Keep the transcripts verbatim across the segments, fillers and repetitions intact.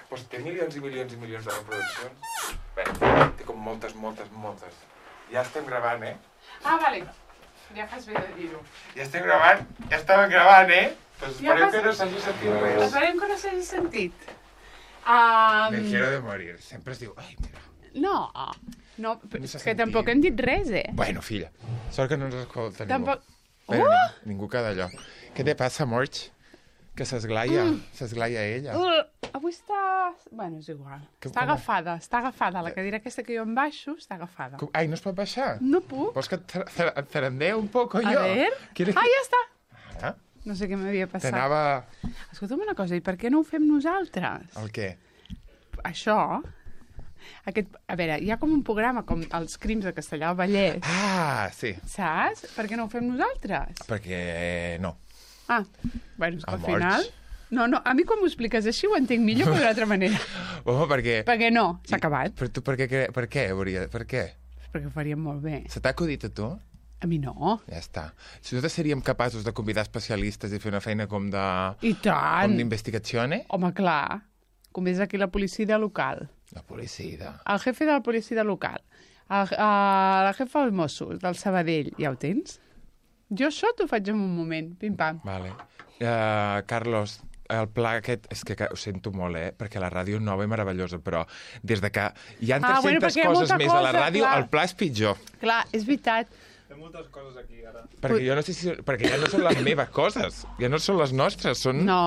Pues té milions i milions i milions de reproduccions. Bé, té com moltes, moltes, moltes. Ja estem gravant, eh? Ah, vale. Ja fas bé de dir-ho. Ja estem gravant, ja estàvem gravant, eh? Pues Ja esperem fas- que no s'hagi sentit res. Esperem que no s'hagi sentit. Um... Me quiero de morir. Sempre es diu, ai, mira. No, no, No és s'ha que sentit. tampoc hem dit res, eh? Bueno, filla, sort que no ens escolta ningú. Tampoc... Bé, Uh! ni- ningú queda allò. Què te passa, Morch? Que s'esglaia, Mm. s'esglaia ella. Uh, avui està... Bueno, és igual. Que- està com? agafada, està agafada. La cadira aquesta que jo em baixo està agafada. Com- Ai, no es pot baixar? No puc. Vols que et tar- tar- et tarandee un poco A jo? ver... ¿Quieres Ah, que- ja està. Ah, No sé què m'havia passat. t'anava... Escolta'm una cosa, i per què no ho fem nosaltres? El què? Això... Aquest, a veure, hi ha com un programa com els crims de Castellà del Vallès, Ah, sí. saps? Per què no ho fem nosaltres? Perquè eh, no. Ah, bueno, és que al A morts. final... No, no, a mi quan m'ho expliques així ho entenc millor que d'una altra manera. Home, perquè... Perquè no, s'ha acabat. Però tu per què? cre- Per què, hauria... Per què? Perquè ho faríem molt bé. Se t'ha acudit a tu? A mi no. Ja està. Si nosaltres seríem capaços de convidar especialistes i fer una feina com de... I tant! Com d'investigació, eh? Home, clar. Com és aquí la policia local. La policia. El jefe de la policia local. El, uh, la jefa dels Mossos, del Sabadell. Ja ho tens? Jo això t'ho faig en un moment. Pim-pam. Vale. Uh, Carlos, el pla aquest... És que ho sento molt, eh? Perquè la ràdio és nova i meravellosa, però des de que hi ha Ah, tres-centes bueno, perquè hi ha coses molta més a la cosa, ràdio, clar. el pla és pitjor. Clar, és veritat. Té moltes coses aquí, ara. Perquè jo no sé si... Perquè ja no són les meves coses. Ja no són les nostres, són No.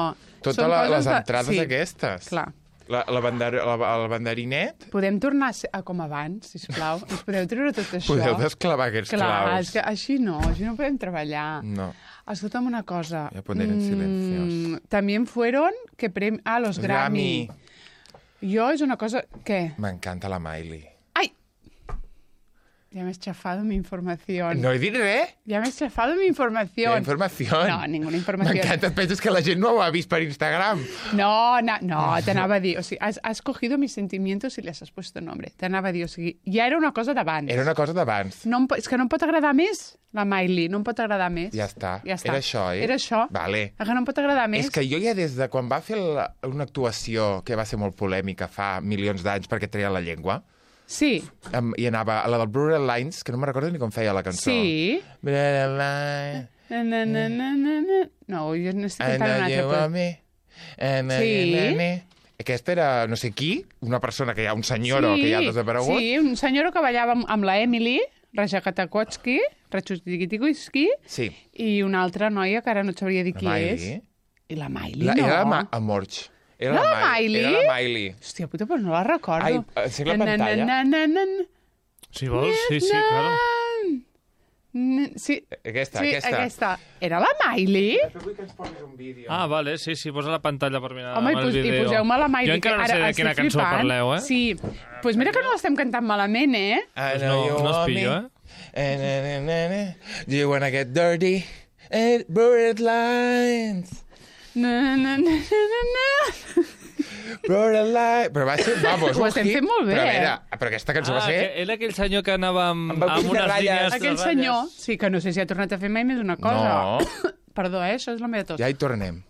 totes són la, coses les de- entrades sí, aquestes. Clar. La, la, bandar, la, el banderinet, Podem tornar a, ser, a com abans, sisplau. Ens podeu treure tot això? podeu desclavar aquests Clar, claus. és que així no, així no podem treballar. No. Escolta'm una cosa. Voy a poner en silencios. También fueron que prem... Ah, los Los Grammy. Grammy. Jo és una cosa... Què? M'encanta la Miley. ¡Ay! Ya me has chafado mi información. No he dit res. Ya me has chafado mi información. Qué información. No, ninguna información. M'encanta, penses que la gent no ho ha vist per Instagram. No, no, no, t'anava a dir, o sigui, has, has cogido mis sentimientos y les has puesto nombre. T'anava a dir, o sigui, ja era una cosa d'abans. Era una cosa d'abans. No em, po- és que no em pot agradar més, la Miley, no em pot agradar més. Ja està. Ja està. Era això, eh? Era això. Vale. És que no em pot agradar més. És que jo ja des de quan va fer la, una actuació que va ser molt polèmica fa milions d'anys perquè treia la llengua, Sí, um, i anava a la del Brutal Lines, que no me recordo ni com feia la cançó. sí. Brutal Lines, Na, na, na, na, na, na. No, jo no estic I cantant know una you altra. want me. And I- Sí. na, na, na. Aquesta era no sé qui, una persona que hi ha, un senyoro que ja ha desaparegut. Sí, un senyor que ballava amb, amb la Emily, Rajakatakotski, Rachustikitikuski, Sí. i una altra noia que ara no et sabria dir La qui Miley. és. I la Miley, La, no. era la Ma Amorch. Era Era la Miley. Miley? Era la Miley. Hòstia puta, però no la recordo. Ai, encén la Na, na, pantalla. na, na, na, na. Si vols, sí, sí, claro. Na- Sí, Aquesta, sí, aquesta. aquesta. Era la Miley? Vull que ens posis un vídeo. Ah, vale, sí, sí, posa la pantalla per mirar Home, i, el pos, i vídeo. poseu-me la Miley. Jo encara no que sé ara de estic quina cançó flipant. parleu, eh? Sí, doncs pues mira que no l'estem cantant malament, eh? I Pues know no- you no es want pillo, me. eh? Eh, na, na, na, na. Do you wanna get dirty? And Brutal Lines. Na, na, na, na, na. Brutal Lines. Però va ser, vamos, Ho un estem hit. fent molt bé, Però a eh? veure, però aquesta cançó Ah, va ser... que era aquell senyor que anava amb, Amb el amb, puny de unes ratlles. línies... de Aquell ratlles. senyor, sí, que no sé si ha tornat a fer mai més una cosa. No. Perdó, eh? Això és la meva tos. Ja hi tornem.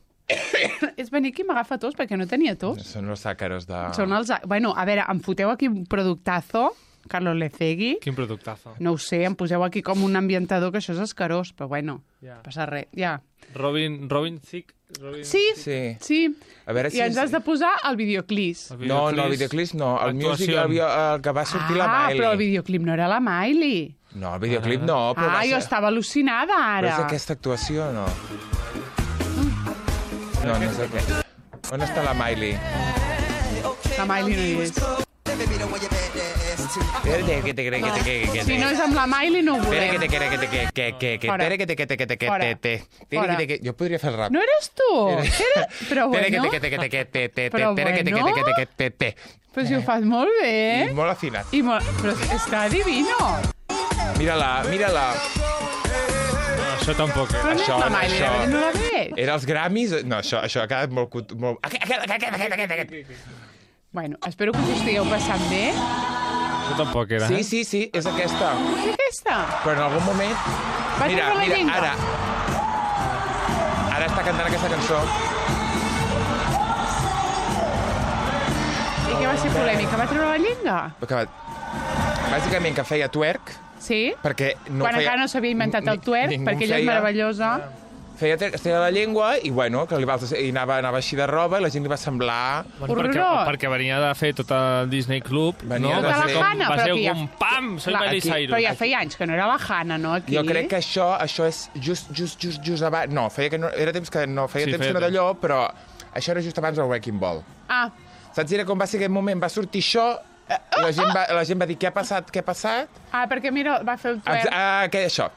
És venir aquí i m'agafa tos perquè no tenia tos. Són els àcaros de... Són els... Bueno, a veure, em foteu aquí un productazo, Carlos Lecegui. Quin productazo. No ho sé, em poseu aquí com un ambientador, que això és escarós, però bueno, Ja. passa res, ja. Robin, Robin Thicke... Robin... Sí, Sí. sí. A veure si... I ens has de posar el videoclip. El No, no, el videoclip no. El music, el, Actuacions. bio- el que va sortir la Ah, Miley. però el videoclip no era la Miley. No, el videoclip no, però Ah, va jo ser... estava al·lucinada Però ara. és aquesta actuació o no? No, no és aquesta. On està la Miley? La Miley no hi és. Espera, que te cree que te que que Si no és amb la Miley, no ho Espera, que volem. te que que te que que que que Fora. espera, que te que te que te que Fora. te te Fora. que te que jo podria fer el rap. No eres tu? Era... Però Espera, que bueno, te que te que te que te te Però espera, que te que te bueno. que te que te te però si ho fas molt bé. I molt afinat. I molt... Però està divino. Mira-la, mira-la. No, això tampoc. Eh? Però no és Això, la no, Miley, això. la veritat no la veig. Era els Grammys... No, això, això ha quedat molt... cut- molt... Aquest, aquest, aquest, aquest, aquest, aquest. Bueno, espero que us ho estigueu passant bé. Això tampoc era. Sí, eh? sí, sí, és aquesta. És aquesta? Però en algun moment... Va Mira, treure la mira, llengua. ara... Ara està cantant aquesta cançó. ser polèmica? Va treure la llenga? Que va... Bàsicament que feia twerk, Sí? perquè no Quan feia... encara no s'havia inventat el twerk, ningú perquè ella és feia. meravellosa. Feia twerk, es treia la llengua i, bueno, que li va, i anava, anava així de roba i la gent li va semblar... Bueno, perquè, Horrorós. perquè venia de fer tot el Disney Club, Venia no? de Va fer- ser com, Hanna, va però ser que ja- com pam, soy Clar, Miley aquí- Cyrus. Però ja feia anys que no era la Hanna, no, aquí? Jo crec que això això és just, just, just, just abans... No, feia que no, era temps que no, feia Sí, temps feia que no temps. d'allò, però això era just abans del Wrecking Ball. Ah, Saps? Era com va ser aquell moment, va sortir això, eh, la gent va, la gent va dir què ha passat, què ha passat? ah, perquè mira, va fer el Ex- twerk. Ah, què, això.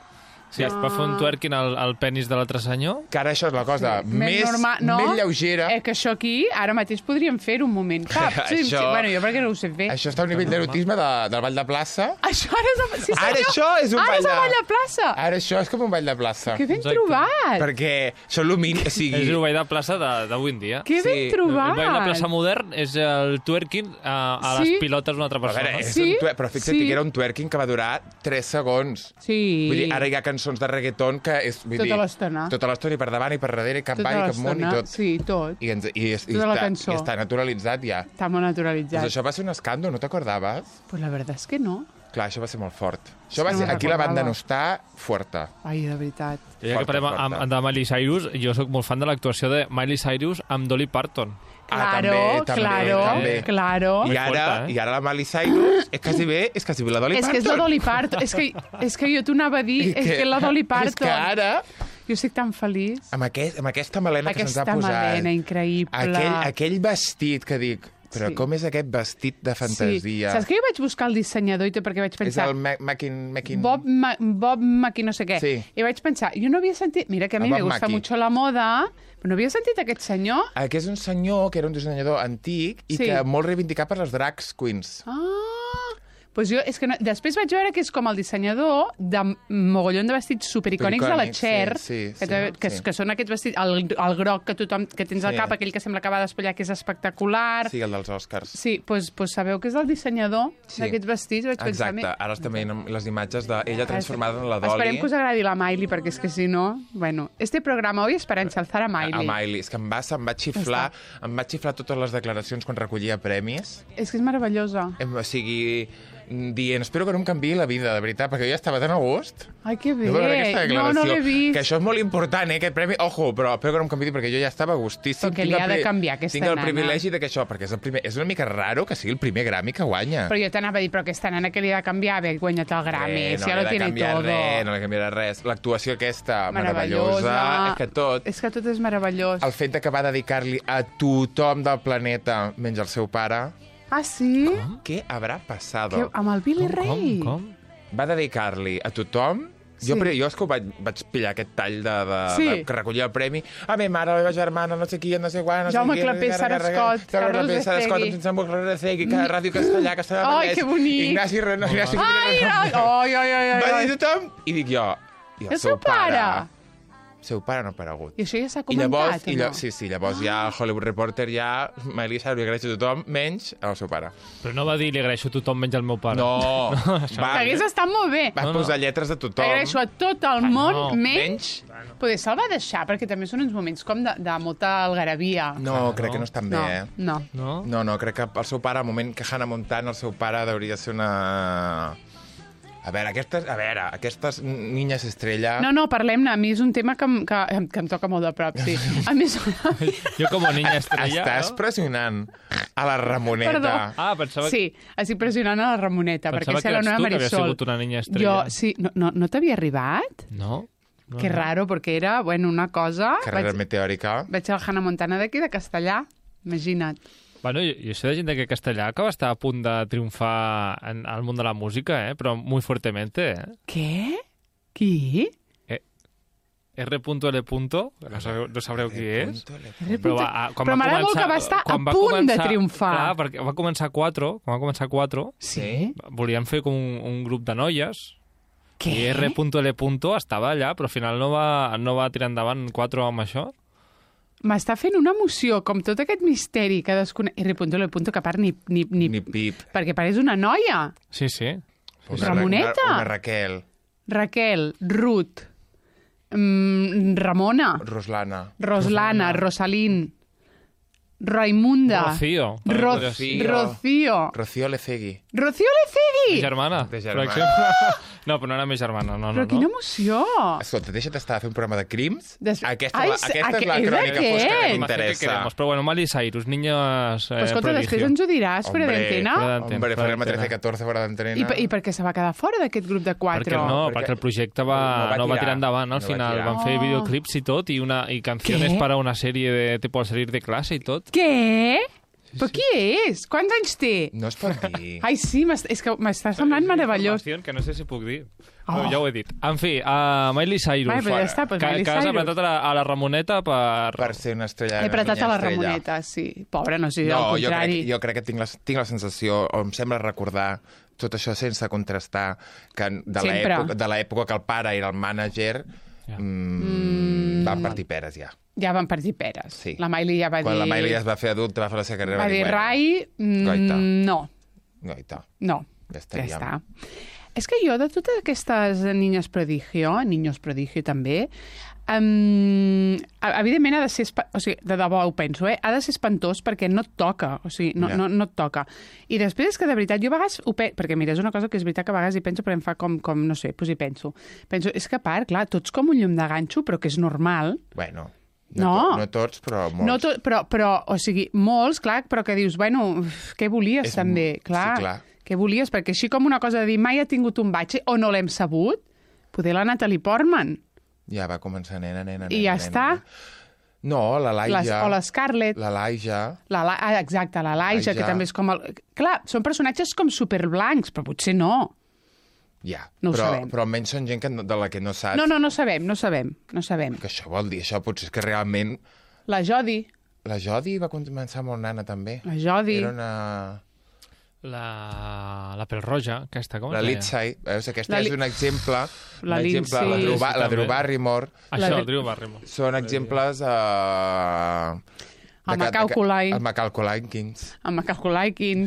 Sí, es va fer un twerking al, al penis de l'altre senyor. Que ara això és la cosa Més més, normal, no? més lleugera. Eh, que això aquí, ara mateix podríem fer un moment. Cap, sí, sí, Això- bueno, jo perquè no ho sé fer. Això està a un nivell d'erotisme de, del ball de plaça. Això ara és... el- Sí, senyor. Ara això és un Ara ball és el de- ball de plaça. Ara això és com un ball de plaça. Que ben Exacte. trobat. Perquè són el mínim, o sigui... És el ball de plaça de- d'avui en dia. Que ben Sí, El trobat. ball de plaça modern és el twerking a, a Sí. les pilotes d'una altra A persona. veure, és Sí, un twer- però fixa't sí. que era un twerking que va durar tres segons. Sí. Vull dir, ara hi ha cançons de reggaeton que és... Vull Tota dir, l'estona. Tota l'estona, i per davant i per darrere, i cap Tota ball, i cap món, i l'estona. tot. Sí, tot. I, ens, i, és, i, Tota la està, cançó. i està naturalitzat ja. Està molt naturalitzat. Doncs això va ser un escàndol, no t'acordaves? Pues la verdad és que no. Clar, això va ser molt fort. Això És va que ser, no aquí la banda recordava. no està forta. Ai, de veritat. I ja que Forta, parlem forta. amb, de Miley Cyrus, jo sóc molt fan de l'actuació de Miley Cyrus amb Dolly Parton. Ah, Claro, també, també, claro, també. claro. I ara, forta, eh? I ara la Miley Cyrus és quasi bé, és quasi bé la Dolly És Parton. que és la Dolly Parton. És que, és que jo t'ho anava a dir, I és que és la Dolly Parton. És que ara, Jo estic tan feliç. amb, aquest, amb aquesta melena que se'ns Aquesta ha posat... melena increïble. Aquell, aquell vestit que dic... Però Sí. com és aquest vestit de fantasia? Sí. Saps que jo vaig buscar el dissenyador i tot perquè vaig És pensar... el Ma- Mackin... Mackin... Bob, Ma Bob Mackie no sé què. Sí. I vaig pensar, jo no havia sentit... Mira que a mi El me Bob gusta Mackie. mucho la moda, però no havia sentit aquest senyor. Ah, que és un senyor que era un dissenyador antic i Sí. que molt reivindicat per les drag queens. Ah, pues jo, és que no, després vaig veure que és com el dissenyador de mogollon de vestits supericònics de la Supericònics, Cher, sí, sí, que, te, sí, que, sí. que són aquests vestits, el, el groc que tothom que tens al Sí. cap, aquell que sembla que va despullar, que és espectacular. Sí, el dels Oscars. Sí, pues, pues sabeu que és el dissenyador Sí. d'aquests vestits? Vaig pensar, Exacte, ara estem veient les imatges d'ella transformada en la Esperem Dolly. que us agradi la Miley, perquè és que si no... Bueno, este programa hoy es para ensalzar a Miley. A Miley. És que em va, em va xiflar, em va xiflar totes les declaracions quan recollia premis. És que és meravellosa. Em- O sigui, dient, espero que no em canviï la vida, de veritat, perquè jo ja estava tan a gust. Ai, que bé. No, veure aquesta no, declaració, no l'he vist. que això és molt important, eh, aquest premi. Ojo, però espero que no em canviï perquè jo ja estava a gustíssim. Però que Tinc li el ha de pri- canviar, aquesta Tinc el nana. privilegi de que això, perquè és, el primer, és una mica raro que sigui el primer Grammy que guanya. Però jo t'anava a dir, però aquesta nana que li ha de canviar haver guanyat el Grammy, Eh, si no ja li lo ha de tiene canviar todo. res, no li canviarà res. L'actuació aquesta, Meravellosa. meravellosa. És que tot... És que tot és meravellós. El fet de que va dedicar-li a tothom del planeta, menys al seu pare, Ah, sí? què haurà passat? Que, amb el Billy Com, Ray. com? Va dedicar-li a tothom. Sí. Jo, pri- jo és que ho vaig, vaig pillar aquest tall de, de, Sí. de, que recollia el premi. A mi mare, la meva germana, no sé qui, no sé quan... No Jaume sé qui, Clapés, Sara Scott, Jaume Carlos Clapés, Sara Scott, Becegui. Vincent Recegui, Ràdio Castellà, Castellà Ai, Vallès, que bonic. Ignasi Renau, Ignasi Ai, ai, ai, ai, ai, Va ai. dir tothom, i dic jo, i el, El seu pare? El seu pare no ha aparegut. I això ja s'ha I comentat, llavors, i o lla no? sí, sí, llavors ja el Hollywood Reporter ja, Miley Cyrus li agraeix a tothom, menys al seu pare. Però no va dir li agraeixo a tothom menys al meu pare. No, va, Que hagués estat molt bé. va No, no. posar lletres de tothom. Agraeixo a tot el món, no. menys... Poder se'l va deixar, perquè també són uns moments com de, de molta algarabia. No, Ah, crec no. que no estan bé, no, eh? no. No? No, no, crec que el seu pare, al moment que Hannah Montana, el seu pare hauria de ser una... A veure, aquestes, a veure, aquestes niñas estrella... No, no, parlem-ne. A mi és un tema que, em- que, que em toca molt de prop, sí. A més, Jo com a niña estrella... Estàs no? pressionant a la Ramoneta. Perdó. Ah, pensava, sí, estic pressionant a la Ramoneta, pensava perquè que és la eres nova tu que havies Marisol. sigut una niña estrella. Jo, sí, no, no, no t'havia arribat? No? no Que no. raro, perquè era, bueno, una cosa... Carrera Vaig, meteòrica. vaig al Hannah Montana d'aquí, de Castellà, imagina't. Bueno, jo, jo sé de gent de que Castellà que va estar a punt de triomfar en, al món de la música, eh? Però muy fuertemente, eh? Què? Qui? R L. No sabreu, no sabreu qui és? Però, va, a- però m'agrada molt que va estar a quan va punt de començar- triomfar. Clar, perquè va començar quatre, quan va començar quatre, Sí? volien fer com un, un grup de noies, Què? i R L. estava allà, però al final no va, no va tirar endavant quatre amb això. M'està fent una emoció, com tot aquest misteri que desconec... R. L. que a part ni, ni, ni, Ni pip. perquè pareix una noia. Sí, sí. Una, Ramoneta. Una, una Raquel. Raquel, Ruth, mm, Ramona, Roslana. Roslana, Rosalín, Raimunda. Rocío. Ro Rocío. Rocío. Rocío Lecegui. Rocío Lecegui! Mi germana. De per germana. exemple. No, però no era mi germana, no, no. Però quina no. emoció! Escolta, deixa't estar a fer un programa de crims. Des... Aquesta, Ai, la, aquesta aqu- és la és crònica aquest? fosca que Más que m'interessa. queremos. Però bueno, Miley Cyrus, niños eh, Però escolta, prodigio. després ens ho diràs, fora Hombre, d'antena. fora d'antena. Hombre, fora farem a d'antena. trece catorze fora d'antena. I, per- I per què se va quedar fora d'aquest grup de quatre? Perquè no, perquè perquè el projecte va, no va no va tirar. tirar endavant, al No va final. tirar. Van fer Oh. videoclips i tot, i, una, i canciones Què? para una sèrie de tipo al salir de classe i tot. Què? Però qui és? Quants anys té? No es pot dir. Ai, sí, m'est- és que m'està semblant meravellós. Informació que no sé si puc dir. Oh. Oh. Ja ho he dit. En fi, a Miley Cyrus. Vai, però ja està, doncs que, Miley que has Cyrus. apretat a la, a la Ramoneta per... Per ser una estrella. He una apretat niña a la estrella. Ramoneta, sí. Pobra, no sé, No, al jo crec, contrari. jo crec que tinc la, tinc la sensació, o em sembla recordar, tot això sense contrastar, que de Sempre. l'època de l'època que el pare era el mànager, Ja. mm, van partir peres ja. Ja van partir peres. Sí. La Miley ja va Quan dir... la Miley ja es va fer adulta, va fer la seva carrera, Va dir, bueno, Rai, mm, Goita. no, Goita, no. ja Ja estaríem. està. És que jo, de totes aquestes niñes prodigio, niños prodigio també, um, evidentment ha de ser... espa- O sigui, de debò ho penso, eh? Ha de ser espantós perquè no et toca, o sigui, no, Ja. no, no et toca. I després és que, de veritat, jo a vegades ho penso... Perquè, mira, és una cosa que és veritat que a vegades hi penso, però em fa com, com no sé, doncs hi penso. Penso, és que a part, clar, tots com un llum de ganxo, però que és normal. Bueno, No. no, to, no tots, però molts. No tot, però, però, o sigui, molts, clar, però que dius, bueno, uf, què volies És també? m- Clar, sí, clar. què volies? Perquè així com una cosa de dir mai ha tingut un batxe o no l'hem sabut, poder la Natalie Portman. Ja va començar nena, nena, nena. I ja nena, està. nena. No, la Les, Laia. o l'Scarlett. La Laia. La, la, ah, exacte, la Laia, que Laia. també és com... El... Clar, són personatges com superblancs, però potser no. Ja, No ho però, sabem. però almenys són gent que, no- de la que no saps. No, no, no sabem, no sabem, no sabem. Que això vol dir, això potser és que realment... La Jodie, La Jodie va començar molt nana, també. la Jodie... Era una... La, la pelroja, aquesta, com La es deia? Lindsay, veus? Aquesta La és Li- un exemple. La un exemple Lindsay. la, Drew, Ba- Sí, la Drew també. Barrymore. Això, La- el Drew Barrymore. Són exemples... Uh, El Macaulay Culkin. El Macaulay Culkin. amb Macaulay Culkin...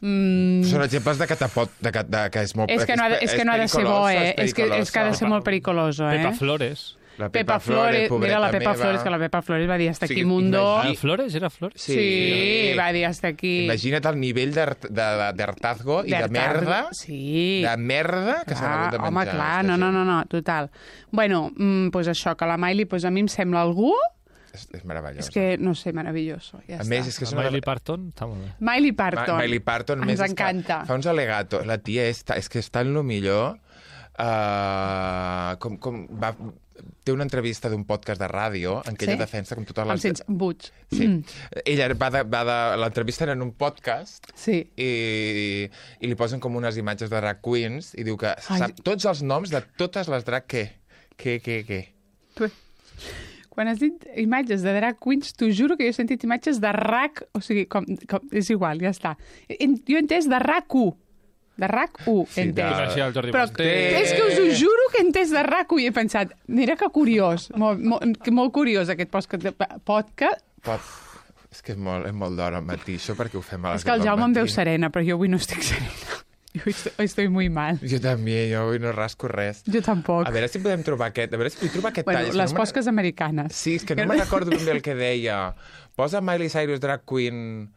Mm, Són exemples de que, te pot, de que, de, que és molt... és que no ha de, és que no ha de ser bo, eh? És que, és que ha de ser pericolosa. molt pericoloso, eh? Pepa Flores. La Pepa Flores, mira la pobreta Pepa meva. Flores, que la Pepa Flores va dir hasta Sí, aquí mundo. imagina- Ah, Flores? Era Flores? Sí. Sí, va dir hasta aquí. Imagina't el nivell d'art- de- de- d'hartazgo i de D'hartazgo. merda, Sí. de merda que s'han hagut de menjar. Home, clar, esta no, no, gent. no, no, total. Bueno, mm, pues això, que la Miley, pues a mi em sembla algú... És, és meravellós. És que, no sé, meravelloso. Ja a està. més, és que és La una... Miley Parton, està molt bé. Miley Ma- Parton. Miley Parton, a més, Ens és que encanta. Fa uns alegatos. La tia és, ta- és que està en lo millor. Uh, com, com va, té una entrevista d'un podcast de ràdio en què Sí? ella defensa com totes Amb les... Sents Butch. Sí. Ella va de, va de... L'entrevista era en un podcast Sí. i, i li posen com unes imatges de drag queens i diu que Ai. sap tots els noms de totes les drag què? Què, què, què? Tu- Quan has dit imatges de drag queens, t'ho juro que jo he sentit imatges de rac... O sigui, com, com, és igual, ja està. En- Jo he entès de rac u. De rac u, he Sí, de- entès. Així el Jordi Però Basté. és que us ho juro que he entès de rac u i he pensat, mira que curiós, molt, molt, que molt curiós aquest podcast. podcast. Pot... És que és molt, és molt d'hora al matí, això perquè ho fem a les És que el deu del Jaume em veu matí. serena, però jo avui no estic serena. Jo estoy, estoy muy mal. Jo també, jo avui no rasco res. Jo tampoc. A veure si podem trobar aquest... A veure si podem trobar aquest Bueno, tall. És que les no me'n- posques americanes. Sí, és que no me'n recordo ben bé el que deia. Posa Miley Cyrus Drag Queen...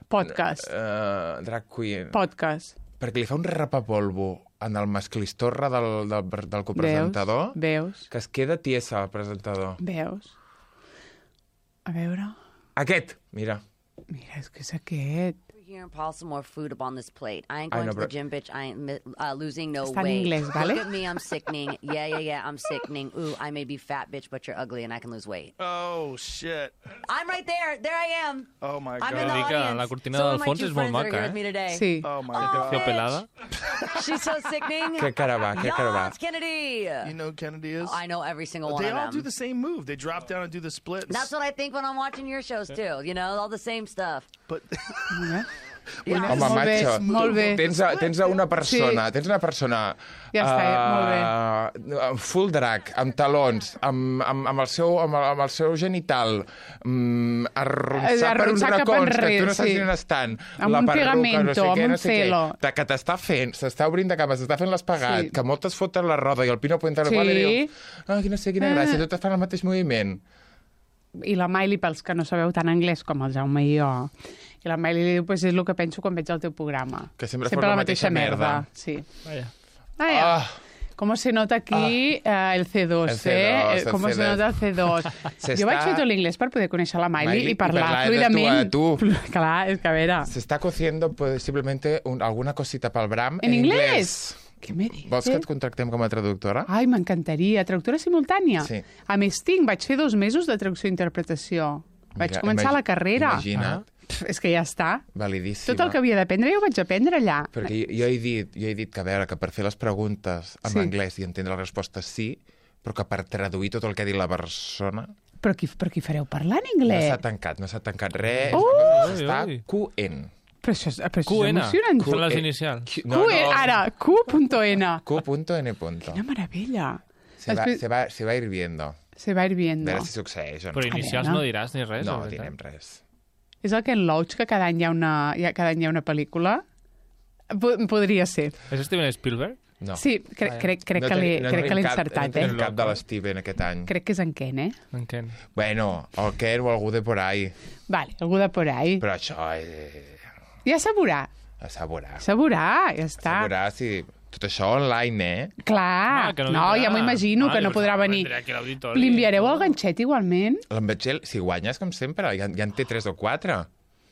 Podcast. Uh, drag Queen... Podcast. Perquè li fa un rapapolvo en el masclistorra del, del, del copresentador Veus? que es queda tiesa el presentador. Veus? A veure... Aquest, mira. Mira, és que és aquest. Here and pile some more food up on this plate. I ain't I going know, to the but- gym, bitch. I ain't mi- uh, losing no Está en weight. inglés, ¿vale? Look at me, I'm sickening. Yeah, yeah, yeah, I'm sickening. Ooh, I may be fat, bitch, but you're ugly and I can lose weight. Oh, shit. I'm right there. There I am. Oh, my I'm God. in the Dic que audience. la cortina so del are my fons two és molt friends that are maca, here eh? with me today. Sí. Oh, my Oh, God. Fio pelada. She's so sickening. Que cara va, que cara va. Yas, Kennedy. You know who Kennedy is? I know every single one They of all them. do the same move. They drop down and do the splits. That's what I think when I'm watching your shows, too. You know, all the same stuff. But Yeah. Home, Molt bé, macho. molt bé. Tens, a, tens a una persona, Sí. tens una persona Ja està, molt bé. Uh, full drag, amb talons, amb, amb, amb, el seu, amb, el, amb el seu genital, um, arronsar Eh, per uns arronsar cap racons que enrere, tu no saps sí. on estan. Amb la un perruca, pegamento, no sé amb què, un no sé què, celo. de- que t'està fent, s'està obrint de cames, s'està fent l'espagat, Sí. que moltes foten la roda i el Pino Puente al Sí. qual i diu, ah, que no sé quina gràcia, Ah. totes fan el mateix moviment. i la Miley, pels que no sabeu tant anglès com el Jaume i jo, i la Miley li diu, pues és el que penso quan veig el teu programa. Que sempre fos la mateixa merda. Sí. Vaya. Ah, ja. Ah, ¿Cómo se nota aquí eh, el C dos, El C dos, eh? el ¿Cómo C se dos. nota el C dos? S'està- Jo vaig fer tot l'inglès per poder conèixer la Miley, Miley i parlar i parlar de fluidament. tu a tu. Clar, és que a veure... se está cociendo posiblemente un, alguna cosita pel Bram En en, inglés? Què me dices? Vols que et contractem com a traductora? Ai, m'encantaria. Traductora simultània? Sí. A més, tinc, vaig fer dos mesos de traducció i interpretació. Vaig Mira, començar imagi- la carrera. Imagina't, Pff, és que ja està. validíssima. Tot el que havia d'aprendre jo ho vaig aprendre allà. Perquè jo, jo, he dit, jo he dit que, a veure, que per fer les preguntes en Sí. anglès i entendre les respostes sí, però que per traduir tot el que ha dit la persona Però qui, però qui fareu parlar en no anglès? s'ha tancat, no s'ha tancat res. Oh! Està Ui, ui. Q N. Però això, és- però això Q és N. emocionant. Són les Q- inicials. Q- Q, ara, Q.N. Q.N. Quina meravella. Se va, Després- se, va, se va ir viendo. Se va ir A viendo. veure si succeeix o no. Però inicials veure. no diràs ni res. No, o veritat? direm res. És el Ken Loach, que cada any hi ha una, hi ha, cada any hi ha una pel·lícula? Po- Podria ser. És Steven Spielberg? No. Sí, crec, crec, crec No que l'he tenim- no crec que tenim l'he cap- encertat, no tenim eh? cap de l'Steven aquest any. Crec que és en Ken, eh? En Ken. Bueno, el Ken o algú de por ahí. Vale, algú de por ahí. Però això és... Ja s'ha veurà. A saborar. S'ha veurà, ja està. Saborar si... Tot això online, eh? Clar, Ah, que no no, vindrà. ja m'ho imagino, Ah, que no jo podrà pensava, venir. vindrà aquí a l'auditori. Li enviareu el ganxet igualment? L'Embetxel, si guanyes, com sempre, ja, ja en té tres o quatre.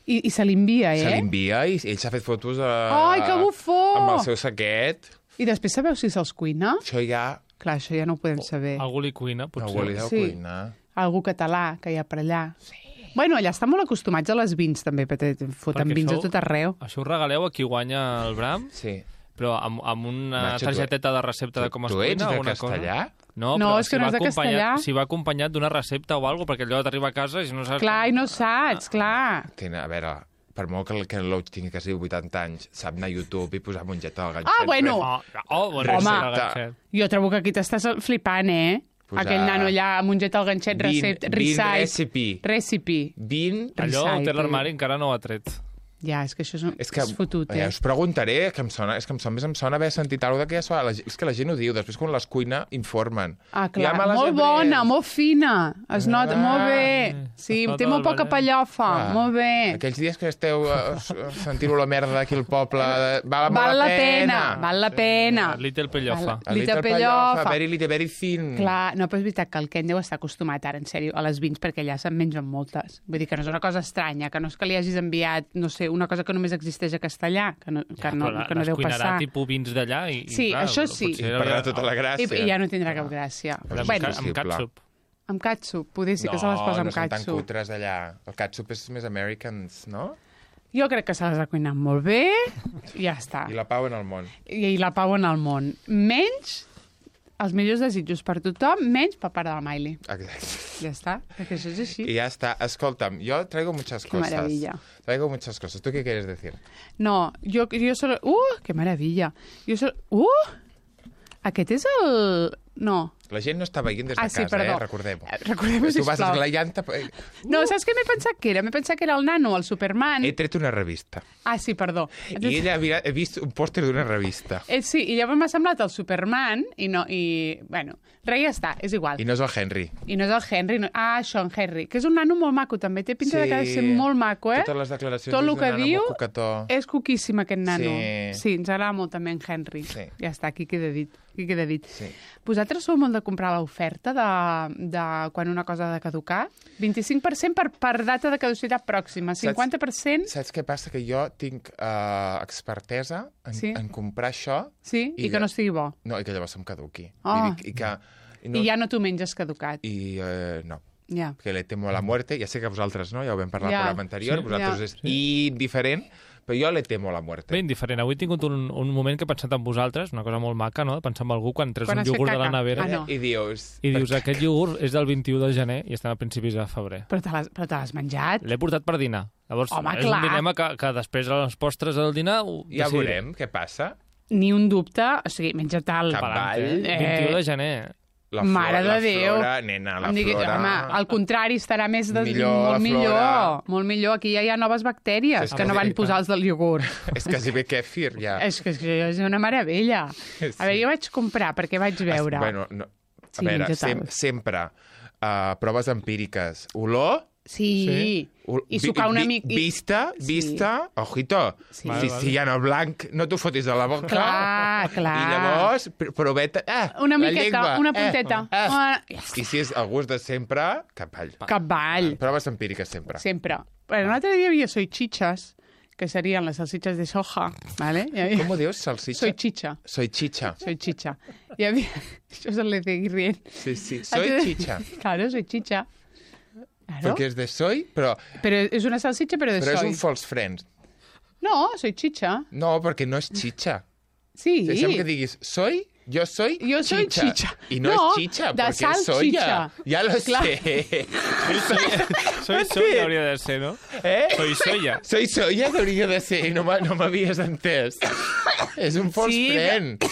I, i se l'envia, eh? Se l'envia i ell s'ha fet fotos a... Ai, que bufó! amb el seu saquet. I després sabeu si se'ls cuina? Això ja... Clar, això ja no ho podem saber. Algú li cuina, potser. Algú li deu Sí. cuinar. Algú català que hi ha per allà. Sí. Bueno, allà estan molt acostumats a les vins, també, perquè foten Perquè vins això- a tot arreu. Això ho regaleu a qui guanya el Bram, Sí. però amb, amb una Nacho, tu- targeteta de recepta de com es Tu cuina, ets de alguna castellà? cosa. No, No, però és que si no va és de acompanyat- castellà. Si va acompanyat d'una recepta o alguna cosa, perquè allò t'arriba a casa i si no saps... Clar, i no saps, clar. Tene, a veure, per molt que el Ken Loach tingui quasi vuitanta anys, sap anar a YouTube i posar mongeta al ganxet. Ah, bueno. Oh, oh bueno, Home. sí, el ganxet. Jo trobo que aquí t'estàs flipant, eh? Posar- Aquell nano allà amb un jet al ganxet, Bean- recet, bean recite. recipe. Recipe. Vin... Allò ho té Recite. l'armari, encara no ho ha tret. Ja, és que això és, un... És que, és fotut, ja eh? us preguntaré, que em sona, és que em sona, més em sona haver sentit alguna cosa que ja sona, la, gent- és que la gent ho diu, després quan les cuina informen. Ah, clar, Ja me les molt he bona, pres. molt fina. Es nota, Ah, molt bé. Sí, es nota té molt el poca ballet. pallofa, Ah, molt bé. Aquells dies que esteu uh, sentint la merda aquí al poble, val, Val molt la pena, val la pena. Little Pellofa. Val- A Little little pellofa. pellofa, very, little, very thin. Clar, no, però és veritat que el Ken deu estar acostumat ara, en sèrio, a les vins, perquè allà se'n mengen moltes. Vull dir que no és una cosa estranya, que no és que li hagis enviat, no sé, una cosa que només existeix a castellà, que no, que no, però que no les deu cuinarà passar. tipus vins d'allà i, i Sí, clar, això sí. potser I era- perdrà tota la I, gràcia. I ja no tindrà cap gràcia. Però és Bueno, Amb impossible. catsup. amb catsup, poder sí que no, se les posa amb no són tan catsup. cutres allà. El catsup és més Americans, no? Jo crec que se les ha cuinat molt bé, i ja està. I la pau en el món. I, I la pau en el món. Menys els millors desitjos per tothom, menys per part de la Miley. Exacte. Ja està, perquè això és així. Y ya está. Escolta'm, yo traigo muchas Qué cosas. maravilla. Traigo muchas cosas. ¿Tú qué quieres decir? No, jo, jo solo... Uh, que meravella. Jo solo... Uh! Aquest és el... No. La gent no està veient des de Ah, sí, casa, perdó. eh? Recordem-ho. Eh, recordem-ho, Tu vas sisplau. esglaiant... No, saps què m'he pensat que era? M'he pensat que era el nano, el Superman. He tret una revista. Ah, sí, perdó. I ella havia, he vist un pòster d'una revista. Eh, sí, i llavors m'ha semblat el Superman i no... I, bueno, res, ja està, és igual. I no és el Henry. I no és el Henry. No... Ah, Sean Henry, que és un nano molt maco, també. Té pinta sí. de que ha de ser molt maco, eh? Totes les declaracions Tot el és que d'un nano diu molt coquetó. és coquíssim, aquest nano. Sí. Sí, ens agrada molt també en Henry. Sí. Ja està, aquí queda dit. Aquí queda dit. Sí. Vosaltres sou molt de comprar l'oferta de, de quan una cosa ha de caducar? vint-i-cinc per cent per, per data de caducitat pròxima, cinquanta per cent... Saps què passa? Que jo tinc uh, expertesa en, Sí. en comprar això Sí, i, I que de- no estigui bo. no, i que llavors em caduqui. Ah. I, dic, i, que, i, No. I ja no t'ho menges caducat. I uh, no. Ja. Que le temo a la muerte. Ja sé que vosaltres no, ja ho vam parlar Ja. al programa anterior, Sí. vosaltres Ja. és indiferent, però jo le temo a la muerte. Bé, indiferent. Avui he tingut un, un moment que he pensat en vosaltres, una cosa molt maca, no?, de pensar en algú quan treus Quan un has fet iogurt de la caca. nevera Ah, no. I dius... i dius, per- aquest iogurt és del vint-i-u de gener i estem a principis de febrer. Però te l'has però te l'has menjat? L'he portat per dinar. Llavors, Home, és clar. un dilema que, que després a les postres del dinar ho Ja decidiré. veurem què passa. Ni un dubte. O sigui, menja-te'l. Cap Palante. Vall. Eh, vint-i-u de gener. La Mare flora, de Déu. La flora, nena, la Em digui, flora... home, al contrari, estarà més de... Millor, molt la millor, flora. molt millor. Aquí ja hi ha noves bactèries És que que no sí, van clar. posar els del iogurt. És quasi bé kefir, ja. És que és, que és una meravella. Sí. A veure, jo vaig comprar perquè vaig veure. Bueno, no, a Sí, veure, menja sem tal. sempre uh, proves empíriques. Olor... Sí. Sí. ol- I sucar una mica... i- Vista, Sí. vista, ojito. Sí. Vale, Si, vale. si hi ha el blanc, no t'ho fotis a la boca. Clar, clar. I llavors, pr- proveta... Ah, Una la miqueta, llengua, una punteta. Eh, Una- eh. I si és el gust de sempre, capall. Cavall. Proves empíriques sempre. Sempre. Bueno, l'altre dia hi havia soy chichas, que serien les salsitxes de soja, ¿vale? Hi havia... Com ho dius, salsitxa? Soy chicha. Soy chicha. Soy chicha. Hi havia... Això és el de seguir rient. Sí, sí. Soy chicha. Claro, soy chicha. Claro. Perquè és de soy, però, Però és una salsitxa, però de però és soy. un false friend. No, soy chicha. No, perquè no és chicha. Sí. Deixa'm que diguis, soy, yo soy Jo soy chicha. chicha. I no, No, és chicha, de perquè és soya. salchicha. Ja lo Clar. sé. Soy soya hauria de ser, no? Eh? Soy soya. Soy soya que hauria de ser, no m'ha- no m'havies entès. És un false Sí, friend.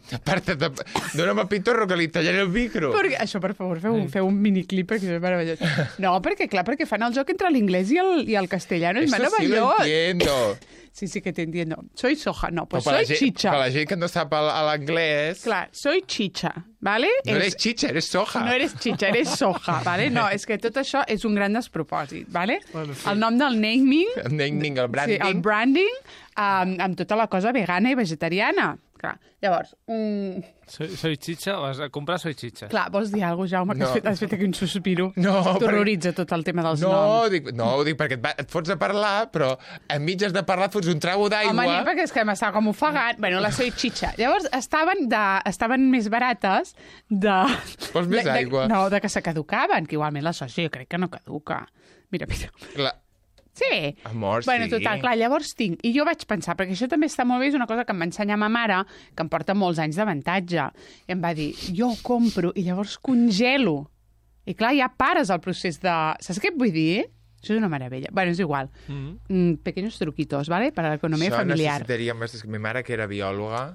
Aparta't, de... dóna'm a pitorro que li tallaré el micro. Perquè, això, per favor, feu, un- feu un miniclip perquè és meravellós. No, perquè, clar, perquè fan el joc entre l'inglès i, el, i el castellano. És Eso sí lo meravellós. entiendo. Sí, sí que te entiendo. Soy soja. No, pues Però per soy la gent, chicha. per la gent que no sap el- l'anglès, Clar, soy chicha, ¿vale? no És- eres chicha, eres soja. No eres chicha, eres soja, ¿vale? No, és que tot això és un gran despropòsit, ¿vale? Bueno, sí. El nom del naming, El naming, el branding. sí, el branding, um, amb tota la cosa vegana i vegetariana. Clar, llavors, um, Soy, soy chicha, vas a comprar soy chicha. clar, vols dir alguna cosa, Jaume, que No. has, fet, has fet aquí un sospiro? No, T'horroritza tot el tema dels No, noms. dic, no, ho dic perquè et, va, et fots a parlar, però en mitges de parlar et fots un trago d'aigua. Home, ni perquè és que m'estava com ofegant. Bueno, la soy chicha. Llavors, estaven, de, estaven més barates de... Vols més de, de, aigua? No, de que se caducaven, que igualment la soja jo crec que no caduca. Mira, mira. La... Sí. Amor, bueno, sí. total, clar, llavors tinc... I jo vaig pensar, perquè això també està molt bé, és una cosa que em va ensenyar ma mare, que em porta molts anys d'avantatge. I em va dir, jo ho compro i llavors congelo. I clar, ja pares el procés de... Saps què et vull dir? Això és una meravella. Bueno, és igual. Mm. Mm, pequeños truquitos, ¿vale? Para la economía Això familiar. necessitaria més... Mi mare, que era biòloga,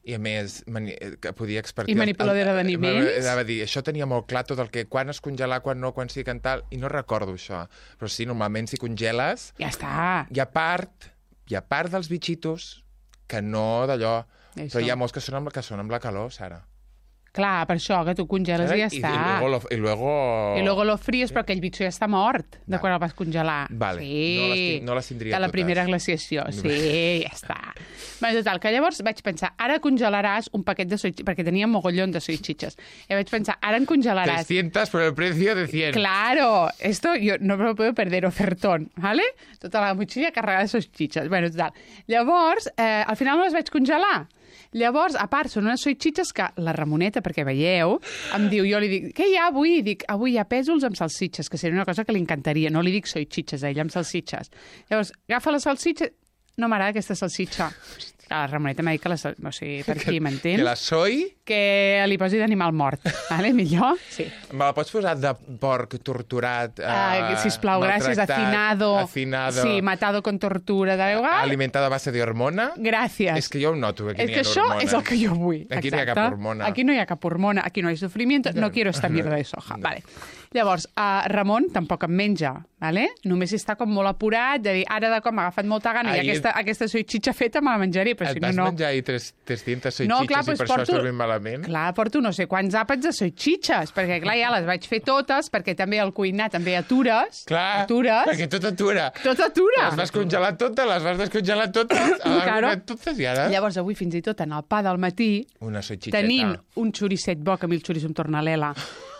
i a més mani... que podia expertir... I manipuladora d'aliments. Anava a dir, això tenia molt clar tot el que... Quan es congelar, quan no, quan sí, que tal... I no recordo això. Però sí, normalment si congeles... Ja està. Hi ha part, hi ha part dels bitxitos que no d'allò... Això. Però hi ha molts que són amb, que són amb la calor, Sara. Clar, per això, que tu congeles i ja I, està. I luego... Lo, y luego... I luego lo fries, però aquell bitxo ja està mort de Vale. quan el vas congelar. Vale. Sí. No les tin- no les tindria De la totes. primera glaciació. Sí, ja està. Bé, total, que llavors vaig pensar, ara congelaràs un paquet de soy perquè tenia mogollón de soychichas. I vaig pensar, ara en congelaràs... trescientos por el precio de cien. Claro, esto yo no me lo puedo perder, ofertón, ¿vale? Tota la motxilla carregada de soychichas. Bueno, total. Llavors, eh, al final no les vaig congelar. Llavors, a part, són unes soychichas que la Ramoneta, perquè veieu, em diu, jo li dic, què hi ha avui? I dic, avui hi ha pèsols amb salsitxes, que seria una cosa que li encantaria. No li dic soychichas a ella, amb salsitxes. Llavors, agafa la salsitxa... No m'agrada aquesta salsitxa. La Ramoneta m'ha dit que la... sal- O sigui, per aquí, m'entens? Que la soy... Que li posi d'animal mort, vale? Millor? Sí. Me la pots posar de porc torturat, Uh, eh, sisplau, gràcies. maltractat, Afinado. afinado, Sí, matado con tortura. Da igual. alimentado a base de hormona. Gràcies. És que jo ho noto, que aquí És no que hi ha això hormona. és el que jo vull. Aquí no hi ha exacte. cap hormona. Aquí no hi ha cap hormona, aquí no hi ha sufrimiento, no quiero esta mierda de soja. Vale. Llavors, uh, Ramon tampoc em menja, vale? Només està com molt apurat, de dir, ara de com m'ha agafat molta gana i Ahir- aquesta, aquesta soychicha feta me la menjaré, però Et si no, vas no... menjar ahir tres, trescientos soy No, chiches clar, i doncs per això porto- estàs ben malament? Clar, porto no sé quants àpats de soychichas, perquè clar, ja les vaig fer totes, perquè també al cuinar també atures. Clar, Atures. perquè tot atura. Tot atura. Les vas congelar totes, les vas descongelar totes, Claro. algunes totes i ara... Llavors, avui, fins i tot, en el pa del matí, Una soy chicheta. tenint un xoricet bo, que a mi el xoriço em torna l'ela,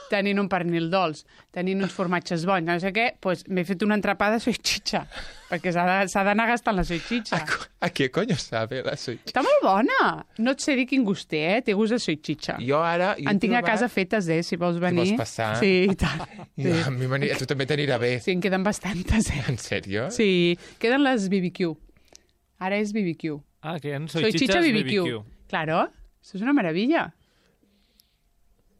tenint un pernil dolç, tenint uns formatges bons, no sé què, doncs m'he fet una entrapada de soychicha, perquè s'ha de- s'ha d'anar gastant la soychicha. ¿A, co- ¿A qué coño sabe la soy chicheta? Està molt bona. No et sé dir quin gust té, eh? Té gust de soychicha. Jo ara... Jo he En tinc a trobat- casa fetes, eh? Si vols venir. vols passar? Sí, i tant. I a, mi m'ani- a tu també t'anirà bé. Sí, en queden bastantes, eh? En sèrio? Sí, queden les B B Q. Ara és B B Q. Ah, que en soy, Soy chicha chichas B B Q. B B Q. Claro, això és una meravella.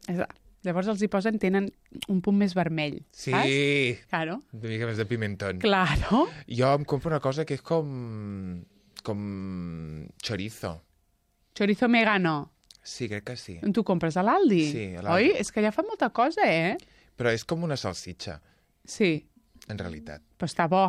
És- Llavors els hi posen, tenen un punt més vermell, Sí, saps? Claro. una mica més de pimentón. Claro. Jo em compro una cosa que és com... com chorizo. Chorizo megano. Sí, crec que sí. On tu compres a l'Aldi? Sí, a l'Aldi. Oi? És que allà fan molta cosa, eh? Però és com una salsitxa, Sí, en realitat. però està bo.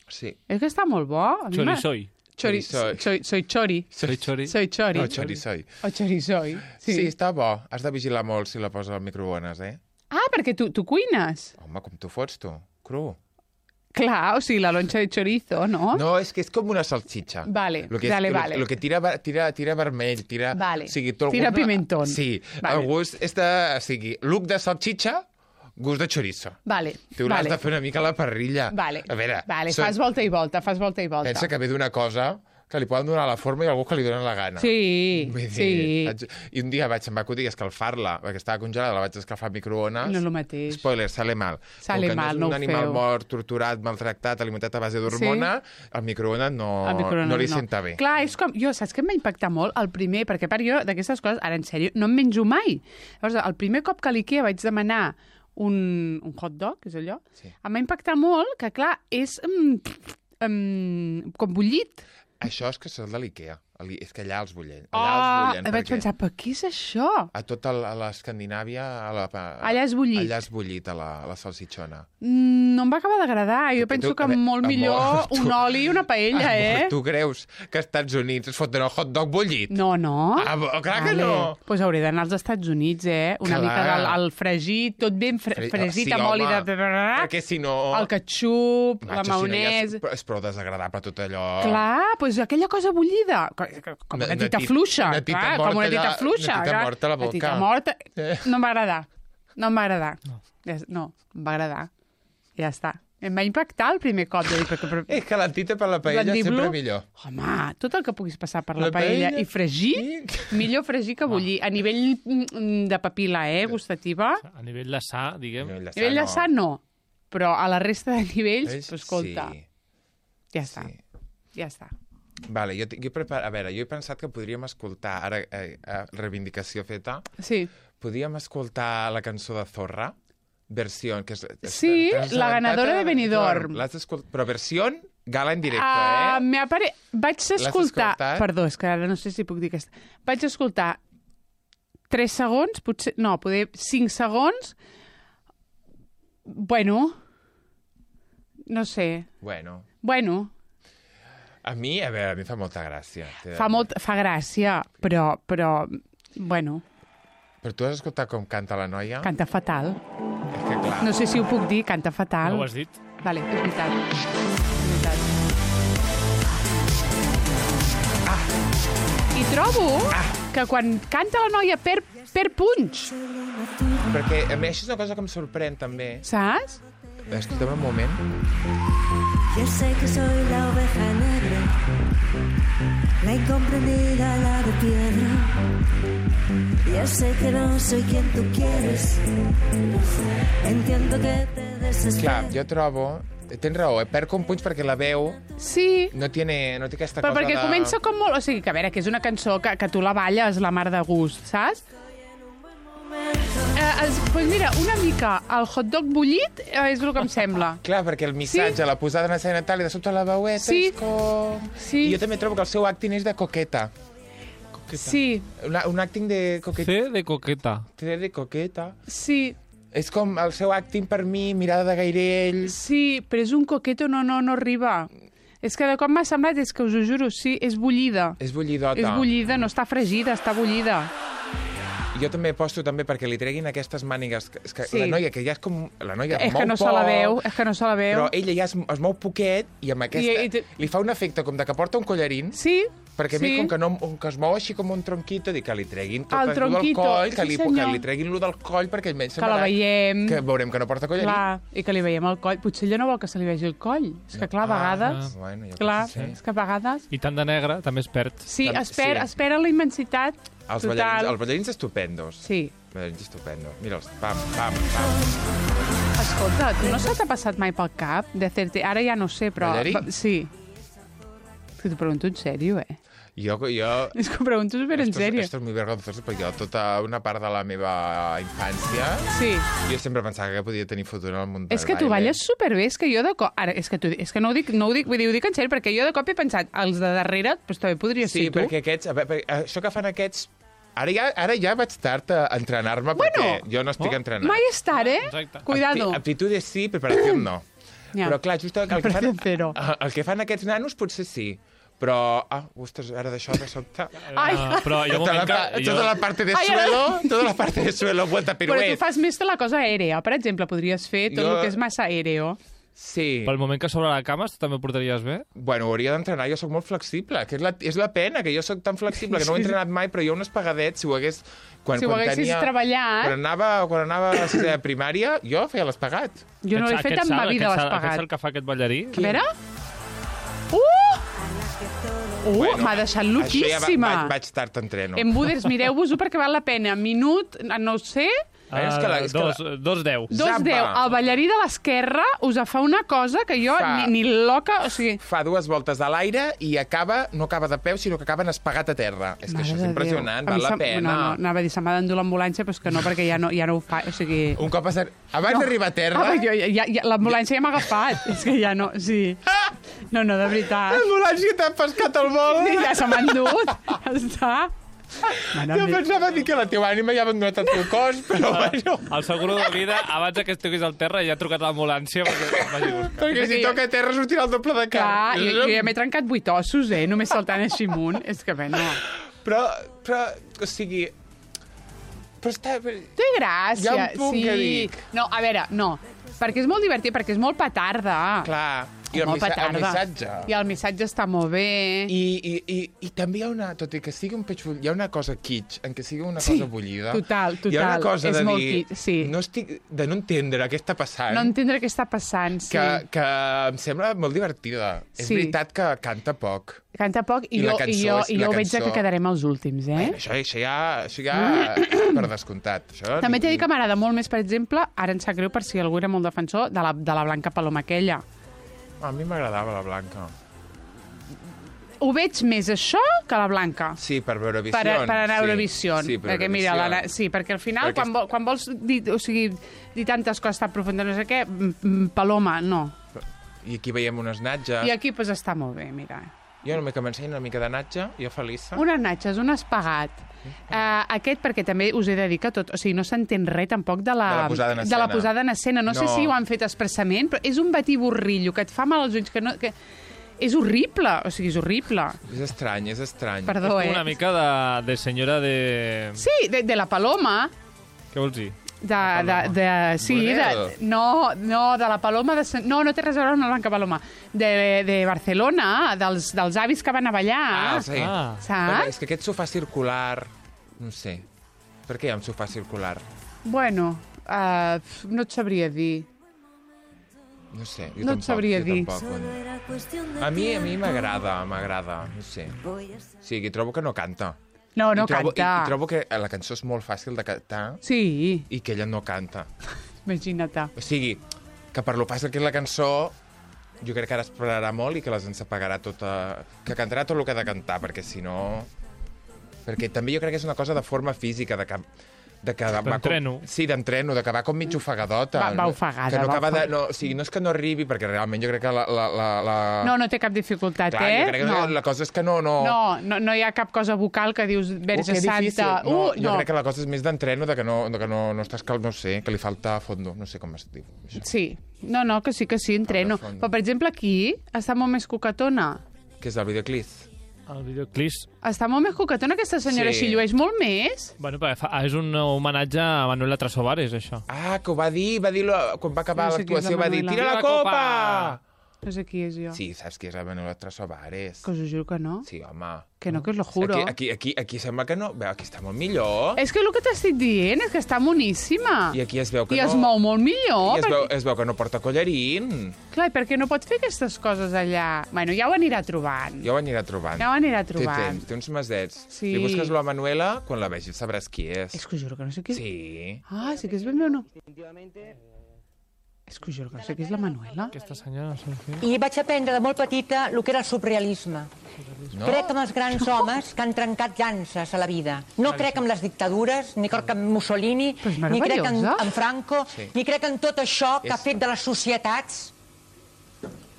Sí. És que està molt bo. A mi m'ha- Chorizoi. Chori... Chorizoi. Soy, soy chori. Soy chori. Soy chori. No, chorizoi. O chorizoi. Sí. Sí. sí, està bo. Has de vigilar molt si la poses al microones, eh? Ah, perquè tu, tu cuines. Home, com tu fots, tu? Cru. Clar, o sigui, la lonxa de chorizo, no? No, és que és com una salsitxa. Vale, lo que és, dale, lo, vale. Lo que tira, tira, tira vermell, tira... Vale. O sigui, tu, el Tira gust, pimentón. Sí, Vale. el gust és de... O sigui, look de salsitxa, gust de chorizo. Vale, Tu l'has vale. de fer una mica a la parrilla. Vale, A veure, vale. són- Fas volta i volta, fas volta i volta. pensa que ve d'una cosa que li poden donar la forma i algú que li donen la gana. Sí, Vull dir, sí. haig- I un dia vaig, em va acudir escalfar-la, perquè estava congelada, la vaig escalfar al microones. No és el mateix. Spoiler, sale mal. Sale Com que mal, no no és ho un animal feu. mort, torturat, maltractat, alimentat a base d'hormona, el microones no, Al microones no li senta bé. Clar, és com... Jo, saps que em va impactar molt? El primer, perquè per jo d'aquestes coses, ara en sèrio, no em menjo mai. Llavors, el primer cop que a l'Ikea vaig demanar un, un hot dog, és allò, Sí. em va impactar molt que, clar, és um, um, com bullit. Això és que és el de l'Ikea. El- És que allà els bullen. Oh, Allà els bullen. vaig perquè pensar, però què és això? A tota el- a l'Escandinàvia... A la, a, Allà és bullit. Allà és bullit, a la, a la salsitxona. Mm, no em va acabar d'agradar. Jo Tu- penso tu- que a veure, molt amor, millor tu- un oli i una paella, Amor, eh? Tu creus que als Estats Units es foten el hot dog bullit? No, no. Ah, bo- clar que no. Doncs pues hauré d'anar als Estats Units, eh? Una Clar. mica del el fregit, tot ben fre Fre- fregit sí, amb oli home, de... Perquè si no... El ketchup, la Macho, si no ja maonesa... és, és prou desagradable tot allò. Clar, doncs aquella cosa bullida, co- com Una- una una tita tit- fluixa, una tita clar, morta com una tita allà, fluixa. una tita clar. morta a la boca. tita morta... Eh. No em va agradar, no em va agradar. Ja- No, em va agradar. Ja està. Em va impactar el primer cop. De dir, perquè, però, És que la tita per la paella Mandíbula. sempre millor. home, tot el que puguis passar per la, La paella, paella. i fregir, Sí. millor fregir que bullir. A nivell mm, de papil·la, eh, gustativa. A nivell de sa, diguem... No, A nivell de sa, no. Però a la resta de nivells, Ells, pues, escolta, Sí, ja està, sí. ja està. Vale, jo, jo prepar... A veure, jo he pensat que podríem escoltar, ara, eh, eh, reivindicació feta, Sí, podríem escoltar la cançó de Zorra, versió... Que és, és, Sí, t'has la assabentat ganadora de Benidorm. L'has escoltat, però versió gala en directe, uh, eh? m'ha pare... vaig escoltar... escoltat? Perdó, és que ara no sé si puc dir aquesta. Vaig escoltar tres segons, potser... No, poder cinc segons. Bueno, no sé. Bueno, Bueno, a mi, a veure, a mi fa molta gràcia. t'he de fa, dir. molt, fa gràcia, però, però, bueno, Però tu has escoltat com canta la noia? canta fatal. És que clar, No sé si ho puc dir, canta fatal. No ho has dit? Vale, és veritat. És veritat. Ah. I trobo ah. que quan canta la noia per, per punx, perquè a mi això és una cosa que em sorprèn també. saps? Escolta'm un moment. Ya sé que soy la oveja negra, la incomprendida, la de piedra. Ya sé que no soy quien tú quieres, entiendo que te Clar, desesperas. jo trobo... Tens raó, eh? Perd com punys perquè la veu Sí, no tiene, no té aquesta però cosa perquè de... comença com molt... O sigui, que a veure, que és una cançó que, que tu la balles la mar de gust, saps? Eh, es, pues mira, una mica el hot dog bullit eh, és el que em sembla. Clar, perquè el missatge, Sí. la posada en escena tal, i de sobte la veueta Sí. és com... Sí. I jo també trobo que el seu acting és de coqueta. Sí, Una, un acting de coqueta. C de coqueta. Sí. De coqueta. sí, És com el seu acting per mi, mirada de gairell... sí, però és un coqueto, no, no, no arriba. És que de com m'ha semblat, és que us ho juro, sí, és bullida. És bullidota. És bullida, no està fregida, està bullida. Jo també aposto també perquè li treguin aquestes mànigues. que- És que Sí. la noia, que ja és com... La noia És mou que no se poc, la veu, és que no se la veu. Però ella ja es, es mou poquet i amb aquesta... I- i te- Li fa un efecte com de que porta un collarín, Sí, perquè a sí. mi com que, no, que es mou així com un tronquito, dic que li treguin tot El lo del tronquito, coll, que, sí, li, senyor. que li treguin lo del coll perquè almenys Que la semblarà veiem. Que veurem que no porta collarín. Clar, i que li veiem el coll. Potser ella no vol que se li vegi el coll. És que, clar, a vegades... Ah, bueno, jo clar, crec que és que a vegades... I tant de negre també es perd. Sí, Tam- espera, sí. espera la immensitat Els total. ballarins, els ballarins estupendos. Sí. Els ballarins estupendos. Mira'ls, pam, pam, pam. Escolta, tu no se t'ha passat mai pel cap de hacerte... Ara ja no sé, però... Ballarí? Sí. És que t'ho pregunto en sèrio, eh? Jo, jo... És que ho pregunto super en Esto es- sèrio. Esto es muy vergonzoso, perquè jo tota una part de la meva infància Sí. jo sempre pensava que podia tenir futur en el món del És que tu baile. balles superbé, és que jo de cop... Ara, és que, tu, és que no, ho dic, no ho dic, vull dir, ho dic en sèrio, perquè jo de cop he pensat, els de darrere, doncs també podria Sí, ser tu. perquè aquests... A veure, això que fan aquests... Ara ja, ara ja vaig tard a entrenar-me Bueno, perquè jo no estic oh, entrenat. Mai és tard, eh? Exacte. Cuidado. Apti- Aptitudes sí, preparació no. Ja. Però clar, just el que, fan, Preparació zero. el que fan aquests nanos potser sí. Però, ah, ostres, ara d'això de sobte... Ai, Uh, però hi ha un Tota la, moment pa- que... tota la parte de Ai, ara- suelo, tota la parte de suelo, vuelta però tu piruet. fas més de la cosa aèrea. Per exemple, podries fer tot Jo- el que és massa aèreo. Sí. Pel moment que sobre la cama, tu també ho portaries bé? Bueno, hauria d'entrenar, jo sóc molt flexible, que és la, és la pena, que jo sóc tan flexible, que no ho he entrenat mai, però jo unes pagadets, si ho hagués... Quan, Si ho quan haguessis tenia, treballat- Quan anava, quan anava a la sisè de primària, jo feia l'espagat. Jo no l'he Aquest- fet aquest en ma salt, vida, aquest salt- Aquest l'espagat. salt que fa aquest ballarí? A veure... Uh! Uh, Bueno, m'ha deixat Això ja va, loquíssima. vaig, vaig tard t'entreno. Embuders, mireu-vos-ho perquè val la pena. Minut, no ho sé, Ah, és que la- és que dos, dos deu. dos Zamba. deu. El ballarí de l'esquerra us fa una cosa que jo Fa- ni, ni loca... O sigui, Fa dues voltes a l'aire i acaba, no acaba de peu, sinó que acaba en espagat a terra. És que mare això és de impressionant, Déu. A val mi la se'm- pena. No, no, anava a dir, se m'ha d'endur l'ambulància, però és que no, perquè ja no, ja no ho fa. O sigui... Un cop a ser... Abans No. d'arribar a terra... Ah, jo, ja, ja, l'ambulància ja m'ha agafat. És que ja no... Sí. No, no, de veritat. L'ambulància t'ha pescat al vol. Sí, ja se m'ha endut. Ja està. Mare Jo meva. pensava dir que la teva ànima ja ha abandonat el teu cos, però bueno... El seguro de vida, abans que estiguis al terra, ja ha trucat l'ambulància perquè vagi a buscar. Perquè si Perquè- toca a terra sortirà el doble de Clar, carn. jo, jo ja m'he trencat vuit ossos, eh? Només saltant així amunt. És que bé, no. Però, però, o sigui... Però està... Té gràcia. Hi ha un punt sí. que dic. No, a veure, no. Perquè és molt divertit, perquè és molt petarda. Clar, i el, Molt missa el petarda. missatge. I el missatge està molt bé. I, i, i, I també hi ha una, tot i que sigui un peix bull, hi ha una cosa kitsch, en què sigui una Sí, cosa bullida. total, Hi ha una total. cosa És de molt dir, kitsch, sí. no estic, de no entendre què està passant, No entendre què està passant, sí. que, que em sembla molt divertida. És Sí. veritat que canta poc. Canta poc i, I la jo, cançó i jo, és- i la jo veig cançó- que quedarem els últims, eh? Bueno, això, això ja, això ja per descomptat. Això També t'he dit que m'agrada molt més, per exemple, ara em sap greu per si algú era molt defensor, de la, de la Blanca Paloma aquella. A mi m'agradava la Blanca. Ho veig més això que la Blanca. Sí, per Eurovisió. Per, per anar a Eurovisió. Sí, per perquè, mira, Eurovisió. la, sí, perquè al final, Perquè quan, vol, quan vols dir, o sigui, dir tantes coses tan profundes, no sé què, mm, mm, Paloma, no. I aquí veiem unes natges. I aquí pues, està molt bé, mira. Jo només que m'ensenyi una mica de natge, jo feliça. Unes natxes, un espagat. Uh, aquest perquè també us he de dir que tot, o sigui, no s'entén res tampoc de la, De la posada en de escena. la posada en escena. No, no sé No. si ho han fet expressament, però és un batiborrillo que et fa mal als ulls, que no... Que... És horrible, o sigui, és horrible. És estrany, és estrany. Perdó, eh? Una mica de, de senyora de... Sí, de, de la Paloma, Què vols dir? de, de, de, sí, de, Bonero. no, no, de la Paloma, de, Sant- no, no té res a veure amb la Blanca Paloma, de, de Barcelona, dels, dels avis que van a ballar, Ah, sí. Ah. Perquè saps? és que aquest sofà circular... No sé. Per què hi ha un sofà circular? Bueno, uh, no et sabria dir. No sé, jo No et tampoc. sabria jo dir. Tampoc. Solo era cuestión de A mi, a mi tiempo. m'agrada, m'agrada, no sé. Voy a ser- O sigui, trobo que no canta. No, no I trobo, canta. I, I trobo que la cançó és molt fàcil de cantar Sí, i que ella no canta. imagina't. O sigui, que per lo fàcil que és la cançó, jo crec que ara esperarà molt i que les ensapagarà tota... Que cantarà tot el que ha de cantar, perquè si no... Perquè també jo crec que és una cosa de forma física, de que... De que va D'entreno. Com, sí, d'entreno, de que va com mig ofegadota. Va- va no? ofegada, Que no va acaba de... ofegada. No, o sigui, no és que no arribi, perquè realment jo crec que la... la, la, la... No, no té cap dificultat, Clar, eh? jo crec que no. la cosa és que no... No, No, no, no hi ha cap cosa vocal que dius Uh, Verge que difícil. Santa. No, uh, jo no. crec que la cosa és més d'entreno, de que no, de que no, no estàs cal, no sé, que li falta fondo, no sé com es diu. Això. Sí, no, no, que sí, que sí, entreno. Falta fons. Però, per exemple, aquí està molt més coquetona. Que és el videoclip. El videoclip... Està molt més coquetona aquesta senyora, Sí. sí. Així llueix molt més. Bueno, perquè fa, és un homenatge a Manuela Trasobares, això. Ah, que ho va dir, va dir quan va acabar No sé qui és la l'actuació, va dir, Manuela. tira la Tira la copa! copa! No sé qui és jo. Sí, saps qui és la Manuela Trasobares? Que us ho juro que no. Sí, home. Que no, que us lo juro. Aquí, aquí, aquí, aquí sembla que no. Veu, aquí està molt millor. És que el que t'estic dient és que està moníssima. I aquí es veu que I no... es mou molt millor. I es perquè... veu, es veu que no porta collarín. Clar, i per què no pot fer aquestes coses allà? Bueno, ja ho anirà trobant. Ja ho anirà trobant. Ja ho anirà Té trobant. temps, té uns mesets. Sí. Li busques la Manuela, quan la vegis sabràs qui és. És que us juro que no sé qui és. Sí. Ah, sí que és ben bé o no? És que us juro que no sé qui és la Manuela. Aquesta senyora, no sé què. I vaig aprendre de molt petita el que era el surrealisme. No? Crec en els grans homes que han trencat llances a la vida. No crec en les dictadures, ni crec en Mussolini, Però és ni crec en, meravellosa. en Franco, Sí. ni crec en tot això que És- ha fet de les societats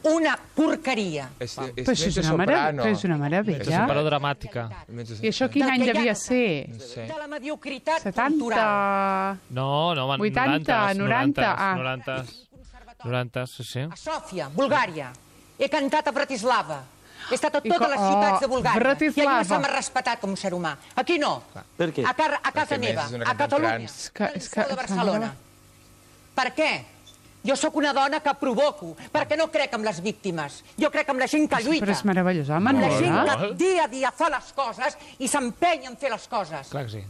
una porqueria. És, és Però això és mezzo una, mare... soprano. però és una És meravella. una dramàtica. Mezzo- I això quin Del any que hi ha- devia ser? No sé. De la mediocritat cultural. setanta... No, no, man, vuitanta, noranta, ah. noranta, noranta, sí, sí. A Sòfia, Bulgària. He cantat a Bratislava. He estat a I totes co- les ciutats de oh, Bulgària. Bratislava. I allà se m'ha respetat com un ser humà. Aquí no. Per què? A, car a casa Perquè, a més, meva, és una a cantant Catalunya, trans. És que- al és Liceu que- de és que Barcelona. Per què? Jo sóc una dona que provoco, perquè no crec en les víctimes. Jo crec en la gent que lluita. Però és meravellosa, Amb la gent Manuela. que dia a dia fa les coses i s'empenya en fer les coses. Clar que sí.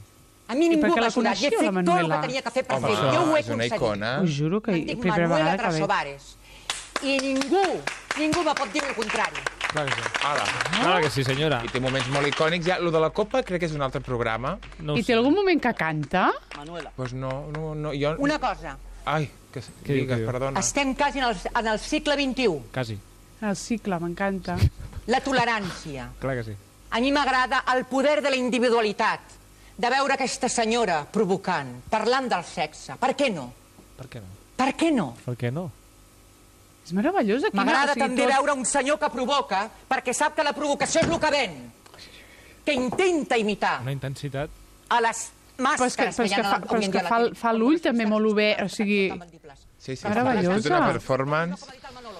A mi I ningú perquè m'ha la ajudat. I he coneixia, fet la tot el Manuela? que tenia que fer per Home, fer. Jo ho he és una aconseguit. icona. Us juro que Em dic primera Manuela vegada que veig. Trasobares. I ningú, ningú me pot dir el contrari. Clar que sí. Ala. Clar que sí, senyora. I té moments molt icònics. Ja, lo de la copa crec que és un altre programa. No ho I sé. té algun moment que canta? Manuela. Doncs pues no, no, no, jo... Una cosa, Ai, que, Què diu, digues, què diu? perdona. estem quasi en el, en el segle vint-i-u. Quasi. El cicle, m'encanta. La tolerància. Clar que sí. A mi m'agrada el poder de la individualitat, de veure aquesta senyora provocant, parlant del sexe. Per què no? Per què no? Per què no? Per què no? És meravellosa. quina- M'agrada o sigui, també tot- veure un senyor que provoca, perquè sap que la provocació és el que ven, que intenta imitar Una intensitat. a les Però és que, màscares però és hi ha que, fa, avui però és en que dia a la fa, tele. fa l'ull també molt obert, o sigui... Sí, sí, Meravellosa. és una performance.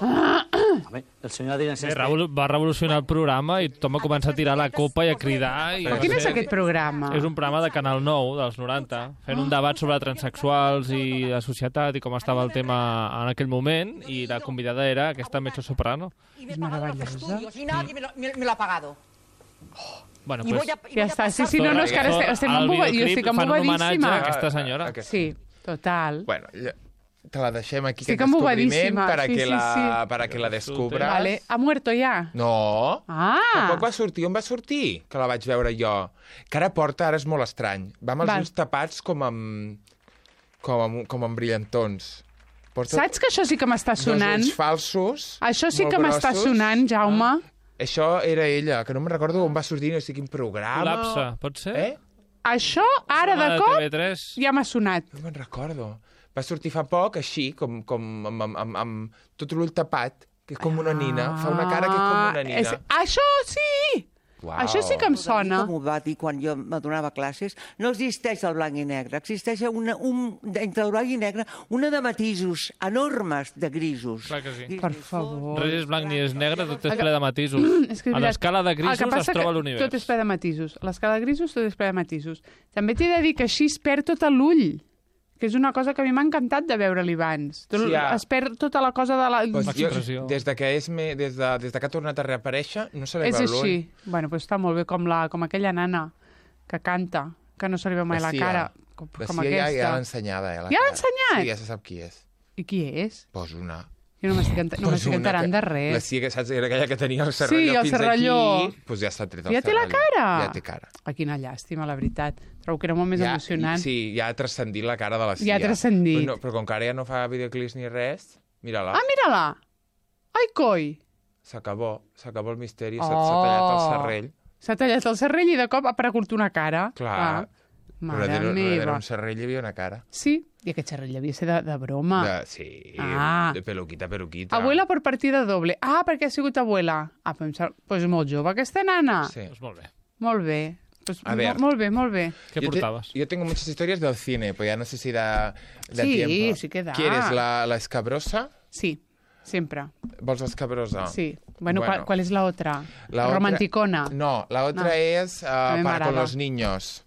Home, el senyor Adrián Sí, Sestre... revol va revolucionar el programa i tothom va començar a tirar la copa i a cridar. I Però va quin és ser- aquest programa? És un programa de Canal nou, dels noranta, fent un debat sobre transexuals i la societat i com estava el tema en aquell moment, i la convidada era aquesta mezzo-soprano. És meravellosa. I nadie me lo, me, me lo ha pagado. Bueno, I pues, voy a, y Ja voy a està, sí, pasar sí, no, no, és que ara estem, estem al emboba... Jo videoclip estic fan un homenatge embobadíssima. a aquesta senyora. Aquest- Sí, total. Bueno, ja, te la deixem aquí, Estic aquest descobriment, embobadíssima, para, sí, que sí, la, sí. para que la descubras. Vale, ha muerto ja? No. Ah! Fa poc va sortir. On va sortir? Que la vaig veure jo. Que ara porta, ara és molt estrany. Va amb els Val. ulls tapats com amb... com amb, com amb brillantons. Porta Saps que això sí que m'està dos sonant? ulls falsos. Això sí molt que m'està grossos. sonant, Jaume. Això era ella, que no me'n recordo on va sortir, no sé quin programa. Col·lapse, pot ser? Eh? Això, ara de Programa cop, T V tres. ja m'ha sonat. No me'n recordo. Va sortir fa poc, així, com, com amb, amb, amb, amb tot l'ull tapat, que és com una nina. Fa una cara que és com una nina. És, això sí! Uau. Això sí que em sona. Com ho va dir quan jo me donava classes, no existeix el blanc i negre, existeix una, un, entre el blanc i negre una de matisos enormes de grisos. Clar que sí. Per favor. Res és blanc ni és negre, tot és ple de matisos. És que és A veritat. l'escala de El que grisos passa es troba que l'univers. Tot és ple de matisos. A l'escala de grisos tot és ple de matisos. També t'he de dir que així es perd tot l'ull, que és una cosa que a mi m'ha encantat de veure-li abans. Tot, Sí, ja. Es perd tota la cosa de la... Pues jo, L'expressió. des, de que és me, des, de, des de que ha tornat a reaparèixer, no se li és veu l'ull. així. Bueno, pues està molt bé, com, la, com aquella nana que canta, que no se li veu mai la Cia. cara. Com, La com Cia ja, aquesta. ja l'ha ensenyada. Eh, la Ja l'ha cara. ensenyat? Sí, ja se sap qui és. I qui és? Pues una. Jo no m'estic enta- no Pues m'estic una enterant que- de La res. Cia, que saps, era aquella que tenia el serralló Sí, el fins serralló. aquí. Pues ja s'ha tret el Ja té la serralló. cara? Ja té cara. Ah, quina llàstima, la veritat. Trobo que era molt més ja, emocionant. Sí, ja ha transcendit la cara de la Cia. Ja ha transcendit. Però, no, però com que ara ja no fa videoclips ni res, mira-la. Ah, mira-la! Ai, coi! S'acabó, s'acabó el misteri, Oh. s'ha s'ha tallat el serrell. S'ha tallat el serrell i de cop ha aparegut una cara. Clar. Ah, mare Darrere, darrere meva. un serrell hi havia una cara. Sí, i aquest serrell devia ser de, de broma. De, sí, Ah. de peluquita, peluquita. Abuela per partida doble. Ah, perquè ha sigut abuela. Ah, però em sembla... Pues molt jove, aquesta nana. Sí. Pues molt bé. Molt bé. Pues A ver. mo- molt bé, molt bé. Què Yo te- portaves? yo tengo muchas historias del cine, pues ya no sé si da, da Sí, tiempo. sí que da. ¿Quieres la, la escabrosa? Sí, sempre. ¿Vols la escabrosa? Sí. Bueno, Bueno. ¿cuál, cuál es la otra? La otra- Romanticona. No, la otra No. es uh, A mí me para con agrada. los niños.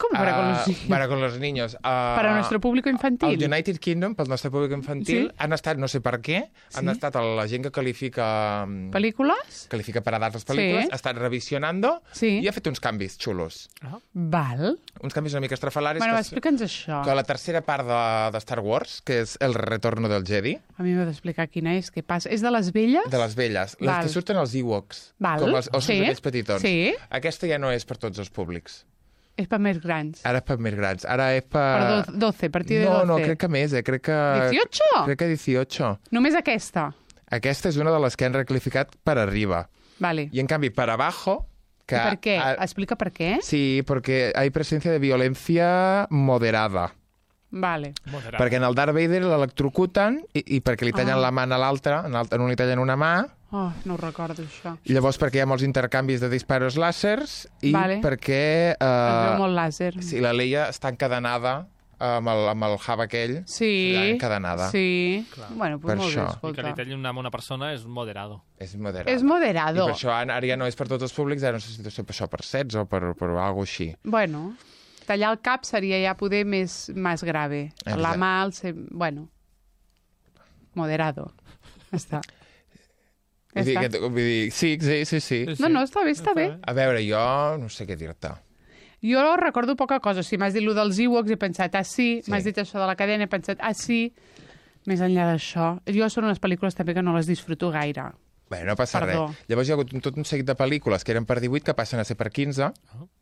¿Cómo para con Ah, los niños? Para con los niños. Ah, Para nuestro público infantil. El United Kingdom, pel nostre públic infantil, Sí. han estat, no sé per què, han Sí. estat la gent que qualifica... mm, ¿Películas? Califica per edat les pel·lícules, Sí. ha estat revisionando Sí. i ha fet uns canvis xulos. Val. Uns canvis una mica estrafalaris. Bueno, que, explica'ns això. que la tercera part de, de Star Wars, que és El retorno del Jedi, A mi m'heu d'explicar quina és, què passa. És de les velles? de les velles, les Val. que surten als Ewoks, Val. com els ossos Sí. aquells petitons. Sí. Aquesta ja no és per tots els públics. És per més grans. Ara és per més grans. Ara és per... Per do- doce, a partir de no, doce. No, crec que més, eh? Crec que... dieciocho? Crec que dieciocho. Només aquesta? Aquesta és una de les que han recalificat per arriba. Vale. I en canvi, per abajo... Que ¿Y por qué? ha- Explica per què. Sí, porque hay presencia de violencia moderada. Vale. Moderat. Perquè en el Darth Vader l'electrocuten i, i perquè li tallen Ah. la mà a l'altra, en, l'altre- en un li tallen una mà, Oh, no ho recordo, això. i llavors perquè hi ha molts intercanvis de disparos làsers i Vale. perquè... Es veu Uh, molt làser. sí, la Leia està encadenada amb el, amb el hub aquell, Sí, allà encadenada. sí. Bueno, pues Per molt això. bé, I que escolta. li tallin una bona persona és moderado. És moderat. És moderado. I per això ara ja no és per tots els públics, ara no sé si deu ser per això per sets o per, per alguna així. Bueno, tallar el cap seria ja poder més, més grave. La Exacte. mà, el se... bueno, moderado. Ja està. Ja Vull dir, està. que, vull dir, sí, sí, sí, sí. No, no, està bé, està bé. A veure, jo no sé què dir-te. Jo recordo poca cosa. O sigui, m'has dit allò dels Ewoks i he pensat, ah, sí. Sí. M'has dit això de la cadena i he pensat, ah, sí. Més enllà d'això. Jo són unes pel·lícules també que no les disfruto gaire. Bé, no passa Perdó. res. Llavors hi ha hagut un- tot un seguit de pel·lícules que eren per divuit que passen a ser per quinze,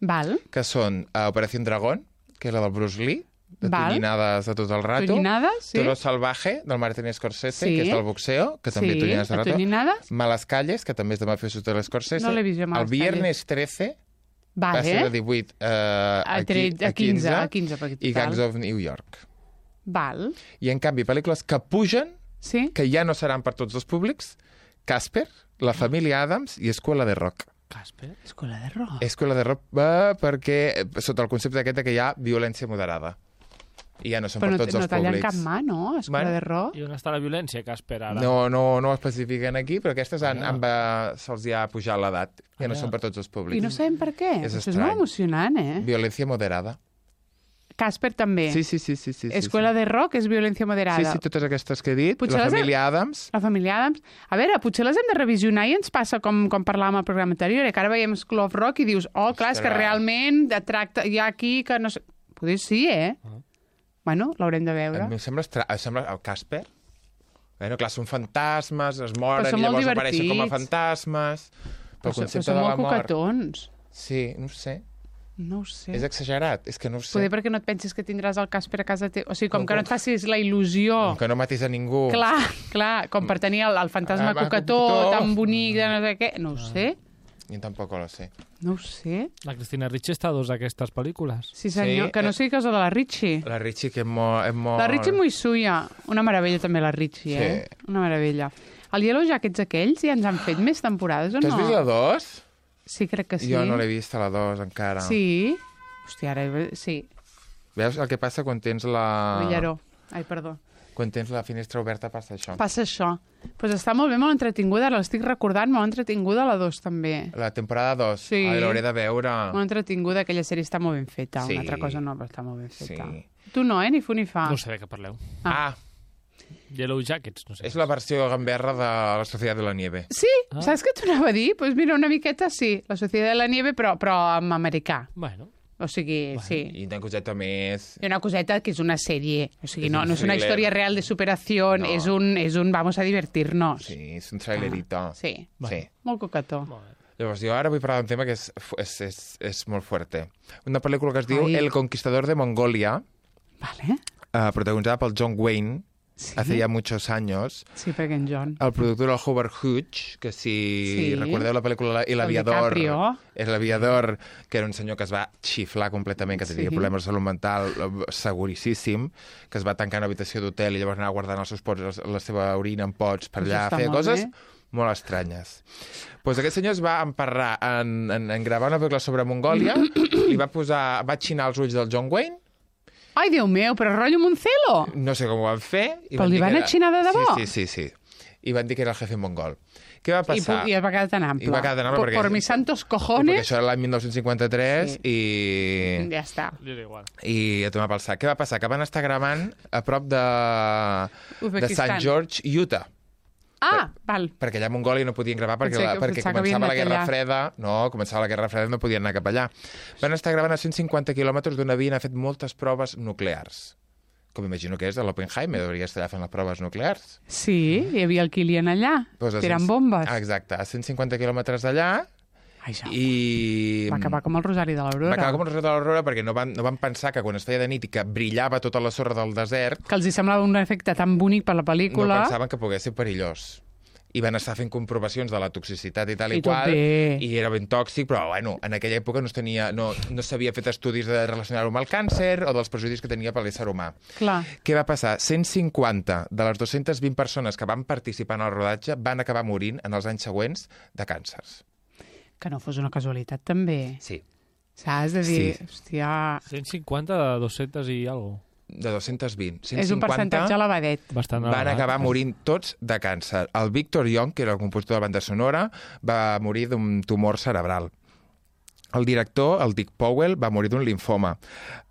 Val? que són uh, Operación Dragón, que és la del Bruce Lee, de Val. tonyinades de tot el rato. Tonyinades, sí. Toro Salvaje, del Martin Scorsese, Sí. que és del boxeo, que també Sí, tonyinades de a rato. tonyinades. Malas Calles, que també és de Mafiosos de l'Scorsese. No l'he vist jo, Malas El Viernes trece, va Vale. ser de divuit uh, a, A tre- a quinze, a quinze, perquè i total. Gangs of New York. Val. I, en canvi, pel·lícules que pugen, Sí? que ja no seran per tots els públics, Casper, La família Adams i Escuela de Rock. Casper? Escola de rock. Escuela de Rock va perquè, eh, sota el concepte aquest de que hi ha violència moderada. I ja no són Però per no, tots no els tallen públics. cap mà, no? Escola Bueno. de rock. I on està la violència, Casper, ara? No, no, no ho especifiquen aquí, però aquestes han, Ah. han va, se'ls hi ha pujat l'edat. Ja no Ah. són per tots els públics. I no sabem per què. És Això és estrany. molt emocionant, eh? Violència moderada. Casper també. Sí, sí, sí. sí, sí, sí Escuela sí. de rock és violència moderada. Sí, sí, totes aquestes que he dit. Potser la les he- família Adams. La família Adams. A veure, potser les hem de revisionar i ens passa com, com parlàvem al programa anterior, eh, que ara veiem School of Rock i dius, oh, clar, és que Ostres. realment de tracta, hi ha aquí que no sé... Potser sí, eh? Ah. Bueno, l'haurem de A veure. mi em sembla, estra... em sembla el Casper. Bueno, clar, són fantasmes, es moren Però són i molt llavors apareixen com a divertits. fantasmes. Pel Però, so- concepte però són de la molt mort. coquetons. Sí, no ho sé. No ho sé. És exagerat, és que no ho sé. Poder perquè no et pensis que tindràs el Casper a casa teva. O sigui, com Com- que no et facis la il·lusió. Que no matis a ningú. Clar, clar, com per tenir el, el fantasma Ah, va, coquetó, coquetó. tan bonic, de no sé què. No ho sé, Jo tampoc ho sé. no ho sé. La Cristina Ricci està a dos d'aquestes pel·lícules. Sí, senyor, Sí, que no eh. sigui cosa de la Richie. La Richie, que és molt... És molt... La Richie muy suya. Una meravella també, la Richie, eh? Sí. Una meravella. El Yellow Jackets aquells ja ens han fet més temporades o Tu no? has vist la dos? Sí, crec que sí. Jo no l'he vist a la dos encara. Sí. Hòstia, ara... Sí. Veus el que passa quan tens la... Villaró. Ai, perdó. Quan tens la finestra oberta passa això. Passa això. Doncs pues està molt bé, molt entretinguda. L'estic recordant, molt entretinguda la dos també. La temporada dos. Sí. Ai, l'hauré de veure. Molt entretinguda, aquella sèrie està molt ben feta. Sí. Una altra cosa no, però està molt ben feta. Sí. Tu no, eh? Ni fu ni fa. No sé de què parleu. Ah, Yellow Jackets, no sé. és la versió gamberra de la Societat de la Nieve. Sí, ah. Saps què t'ho anava a dir? Doncs pues mira, una miqueta sí, la Societat de la Nieve, però, però en americà. Bueno. O sigui, bueno, sí. I una coseta més... I una coseta que és una sèrie. O sigui, És no, un no és una thriller. història real de superació, No. és, un, és un vamos a divertir-nos. Sí, és un trailerito. Sí, Sí. molt coquetó. Molt bé. Llavors, jo ara vull parlar d'un tema que és, és, és, és molt fuerte. Una pel·lícula que es diu Ai. El Conquistador de Mongolia, Vale. uh, protagonitzada pel John Wayne, Sí. hace ya muchos años. Sí, perquè en John... El productor era el Howard Hughes, que si Sí. recordeu la pel·lícula El Aviador, DiCaprio. és l'Aviador, que era un senyor que es va xiflar completament, que tenia Sí. problemes de salut mental eh, seguríssim, que es va tancar en una habitació d'hotel i llavors anar guardant els seus pots, la seva orina en pots per Això allà, està feia molt coses bé. molt estranyes. Pues aquest senyor es va emparrar en, en, en gravar una pel·lícula sobre Mongòlia, li va posar, va xinar els ulls del John Wayne, Ai, Déu meu, però rotllo Moncelo! no sé com ho van fer... i Però li dir van que a xinar de debò? Sí, sí, sí, sí. I van dir que era el jefe mongol. Què va I, passar? pu- I va quedar tan ample. I va quedar tan ample por, perquè- Por mis santos Perquè cojones... això era l'any dinou cinquanta-tres Sí. i... Ja està. Li era igual. I a tomar pel sac. Què va passar? Que van estar gravant a prop de, de Uzbekistan. Sant George, Utah. Ah, val. Perquè allà a Mongòlia no podien gravar perquè, Pensava la, que- perquè pensava que havien començava la anat Guerra allà. Freda. No, començava la Guerra Freda i no podien anar cap allà. Van estar gravant a cent cinquanta quilòmetres d'on havien fet moltes proves nuclears. Com imagino que és de l'Oppenheimer, hauria estar allà fent les proves nuclears. Sí, hi havia el Kilian allà, Pues a tirant cent- bombes. Ah, exacte, a cent cinquanta quilòmetres d'allà Ai, ja. i... Va acabar com el Rosari de Va l'Aurora. acabar com el Rosari de l'Aurora perquè no van, no van pensar que quan es feia de nit i que brillava tota la sorra del desert, Que els hi semblava un efecte tan bonic per la no pel·lícula. pensaven que pogués ser perillós. I van estar fent comprovacions de la toxicitat i tal i, I tot qual, bé. i era ben tòxic, però bueno, en aquella època no es tenia, no, no s'havia fet estudis de relacionar-ho amb el càncer o dels perjudicis que tenia per l'ésser humà. Clar. Què va passar? cent cinquanta de les dues-centes vint persones que van participar en el rodatge van acabar morint en els anys següents de càncers. Que no fos una casualitat, també. Sí. Saps? De dir, Sí. hòstia... cent cinquanta de dos-cents i algo. de dos-cents vint. cent cinquanta És un percentatge elevadet. Bastant van elevat. acabar morint tots de càncer. El Victor Young, que era el compositor de la banda sonora, va morir d'un tumor cerebral. El director, el Dick Powell, va morir d'un linfoma.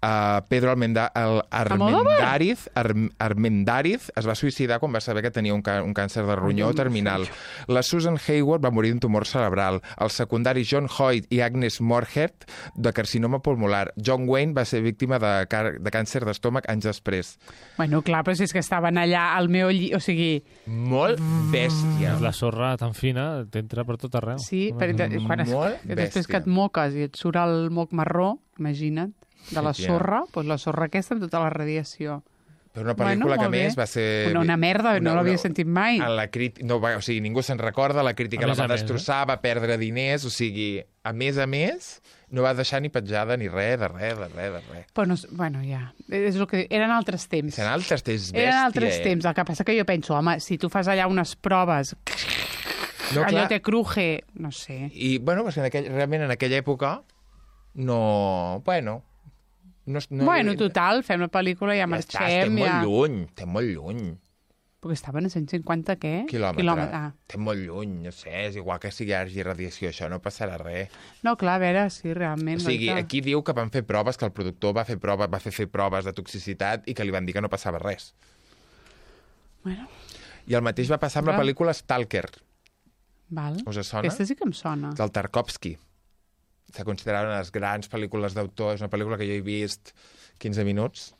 Uh, Pedro Almenda, el Armendariz, Arm, Armendariz es va suïcidar quan va saber que tenia un, ca un càncer de ronyó terminal. La Susan Hayward va morir d'un tumor cerebral. El secundari John Hoyt i Agnes Moorehead de carcinoma pulmonar. John Wayne va ser víctima de, de càncer d'estómac anys després. Bueno, clar, però si és que estaven allà al meu llit, o sigui... Molt bèstia. La sorra tan fina t'entra per tot arreu. Sí, perquè quan es, Molt després bèstia. que et moques i et surt el moc marró, imagina't, de la Sí, sorra, doncs la sorra aquesta amb tota la radiació. Però una pel·lícula Bueno, que, a molt bé. més, va ser... Una, una merda, no l'havia sentit mai. A la crítica, no, va- o sigui, ningú se'n recorda, la crítica A la més va a més, destrossar, va perdre diners, o sigui, a més a més, no va deixar ni petjada ni res, de res, de res, de res. Però no, bueno, ja, és el que... Eren altres temps. Eren altres temps, bèstia, Eren altres eh? temps. El que passa que jo penso, home, si tu fas allà unes proves, No, allò clar. te cruje, no sé. I, bueno, perquè en aquell, realment en aquella època no... Bueno... No, no, bueno, total, fem la pel·lícula, ja, ja està, marxem, estem ja... molt lluny, estem molt lluny. Perquè estaven a cent cinquanta, què? Quilòmetre. Quilòmetre. Ah. Estem molt lluny, no sé, és igual que si hi hagi radiació, això no passarà res. No, clar, a veure, sí, realment. O sigui, guaita. aquí diu que van fer proves, que el productor va fer proves, va fer, fer proves de toxicitat i que li van dir que no passava res. Bueno, I el mateix va passar amb la Clar. pel·lícula Stalker, val. us sona? Aquesta sí que em sona. Del Tarkovsky. Se considera una de les grans pel·lícules d'autor, és una pel·lícula que jo he vist quinze minuts,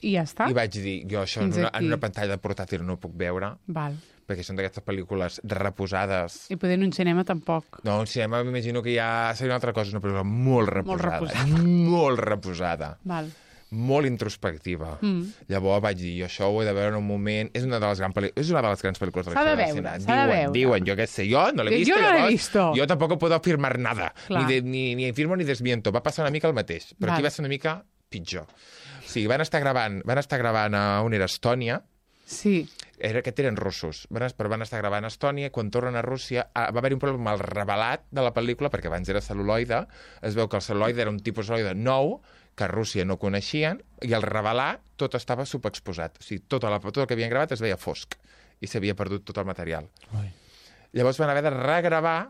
I ja està? i vaig dir, jo això en Fins una, aquí. en una pantalla de portàtil no ho puc veure, Val. perquè són d'aquestes pel·lícules reposades. I poder en un cinema tampoc. No, un cinema m'imagino que ja seria una altra cosa, una pel·lícula molt reposada. reposada. Molt reposada. Val. Molt introspectiva. Mm. Llavors vaig dir, jo això ho he de veure en un moment... És una de les, gran pel·li... és una de les grans pel·lícules de la S'ha de història del veure, cinema. s'ha de Diuen, veure. diuen, jo què sé, jo no l'he Jo vist. no l'he llavors, visto. Jo tampoc puedo afirmar nada. Clar. Ni, de, ni, ni afirmo ni desmiento. Va passar una mica el mateix, però Val. aquí va ser una mica pitjor. O sigui, van estar gravant, van estar gravant a on era Estònia, Sí. era, aquest eren russos, van, es- però van estar gravant a Estònia, i quan tornen a Rússia ah, va haver un problema amb el revelat de la pel·lícula, perquè abans era cel·luloide, es veu que el cel·luloide era un tipus de cel·luloide nou, que a Rússia no coneixien, i al revelar tot estava subexposat. O sigui, tot, la, tot el que havien gravat es veia fosc, i s'havia perdut tot el material. Ai. Llavors van haver de regravar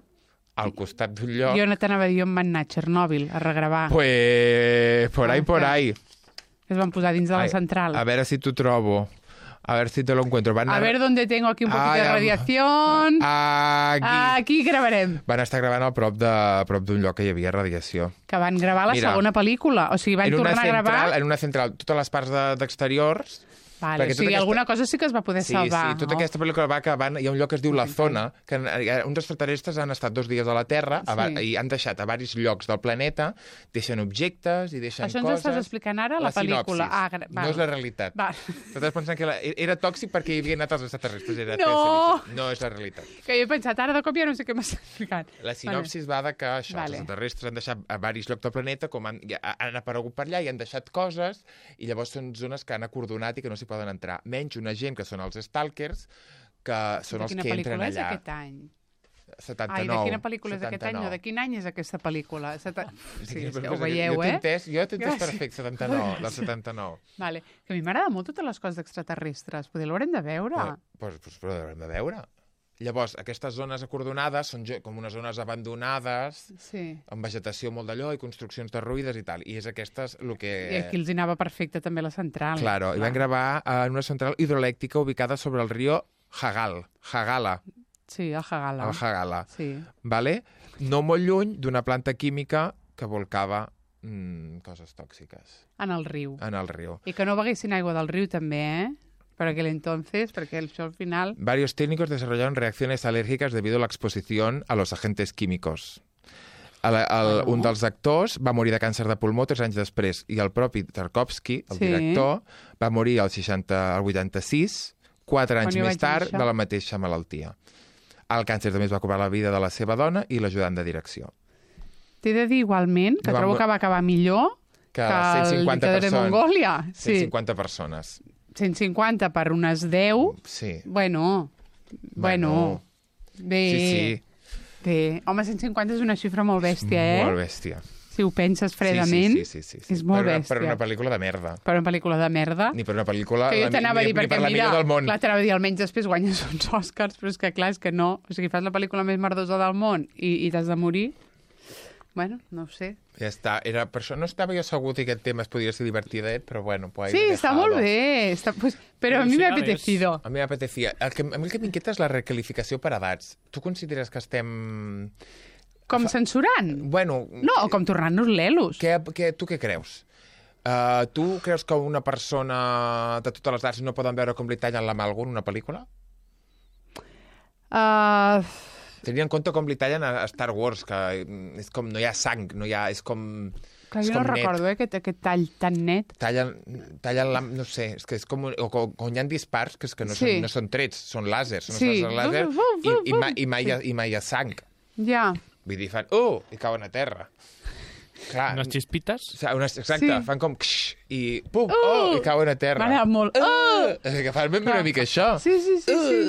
al costat d'un lloc. Jo no t'anava a dir on van anar, a Txernòbil, a regravar. Pues, por ahí, Ah, por clar. ahí. Es van posar dins de la Ai, central. A ver si tu trobo. A ver si te lo encuentro. Van A ver dónde tengo aquí un poquito Ai, de am- radiación. Aquí. Aquí gravarem. Van estar gravant a prop de- a prop d'un lloc que hi havia radiació. Que van gravar la Mira, segona pel·lícula. O sigui, van en una tornar a central, gravar... En una central, totes les parts de- d'exteriors... Vale, perquè o sigui, tota aquesta- alguna cosa sí que es va poder Sí, salvar. sí, tota no? aquesta pel·lícula va acabant... Hi ha un lloc que es diu La Zona, que eh, uns extraterrestres han estat dos dies a la Terra a, Sí. i han deixat a varis llocs del planeta, deixen objectes i deixen Això ens coses... estàs explicant ara, la pel·lícula. sinopsis. Ah, gra- no val. és la realitat. Val. Estàs pensant que la, era tòxic perquè hi havia anat els extraterrestres. Era No! No és la realitat. Que jo he pensat, ara de cop ja no sé què m'estàs explicant. La sinopsis va de que això, Vale. els extraterrestres han deixat a varis llocs del planeta, com han, ja, han aparegut per allà i han deixat coses, i llavors són zones que han acordonat i que no s'hi poden entrar. Menys una gent que són els stalkers, que són De els quina que entren pel·lícula és allà. aquest any? setanta-nou. Ai, de quina pel·lícula és d'aquest any? setanta-nou. No, de quin any és aquesta pel·lícula? Seta... Sí, Sí, és però que ho jo veieu, t'he eh? entès, jo t'he entès Gràcies. perfecte, setanta-nou, del setanta-nou. Vale. Que a mi m'agrada molt totes les coses d'extraterrestres. Poder l'haurem de veure. Però, però, però, però haurem de veure. Llavors, aquestes zones acordonades són jo- com unes zones abandonades, Sí. amb vegetació molt d'allò i construccions derruïdes i tal. I és aquestes el que... I aquí els hi anava perfecte també la central. Claro, i van gravar en una central hidroelèctrica ubicada sobre el riu Hagal, Hagala, Sí, el Hagala. el Hagala, Sí. vale? No molt lluny d'una planta química que volcava mm, coses tòxiques En el riu. en el riu. I que no beguessin aigua del riu també, eh? Per aquel entonces, perquè això al final... Varios técnicos desarrollaron reacciones alérgicas debido a la exposición a los agentes químicos. El, el, Bueno. un dels actors va morir de càncer de pulmó tres anys després i el propi Tarkovsky, el Sí. director, va morir al, seixanta, al vuitanta-sis, quatre anys Quan jo més vaig tard, néixer. de la mateixa malaltia. El càncer també es va cobrar la vida de la seva dona i l'ajudant de direcció. T'he de dir igualment que Va trobo mo- que va acabar millor Que, que cent el cinquanta dictador de persones. Mongòlia. cent Sí, cinquanta persones. cent cinquanta per unes deu. Sí. Bueno, bueno, bé, Sí, sí. bé. Home, cent cinquanta és una xifra molt bèstia, eh? Molt bèstia. Sí, si ho penses fredament, sí, sí, sí, sí, sí. és molt per una, bèstia. Per una pel·lícula de merda. Per una pel·lícula de merda. Ni per una pel·lícula... Que jo la, t'anava a ni, dir, ni perquè per la mira, millor del món. clar, t'anava a dir, almenys després guanyes uns Oscars, però és que clar, és que no. O sigui, fas la pel·lícula més merdosa del món i, i t'has de morir. Bueno, no ho sé. Ja està. Era, per això no estava jo segur que aquest tema es podia ser divertidet, però bueno, pues Sí, està molt bé. Està, pues, però a mi m'ha apetecido. A mi m'apetecía. El que, a mi el que m'inquieta és la recalificació per edats. Tu consideres que estem... Com censurant? Bueno... No, o com tornant-nos lelos. Què, què, tu què creus? Uh, tu creus que una persona de totes les edats no poden veure com li tallen la mà a algú en una pel·lícula? Uh... Tenint en compte com li tallen a Star Wars, que és com, no hi ha sang, no hi ha, és com... Clar, és jo no com net. recordo, eh, aquest, aquest tall tan net. Tallen, tallen la... no sé, és que és com... O, o, quan hi ha dispars, que, és que no, Sí. són, no són trets, són làsers, són Sí. sí. làser, Bum, bum, i, i, bum. mai, i, mai, hi ha- i mai hi ha sang. Ja. Vull dir, fan... Oh! I cauen a terra. Clar. Unes xispites? O sigui, unes, exacte, Sí. fan com... Ksh, i pum! Uh! Oh! I cauen a terra. M'agrada molt. Uh! Que fan ben una mica això. Sí, sí, sí, sí.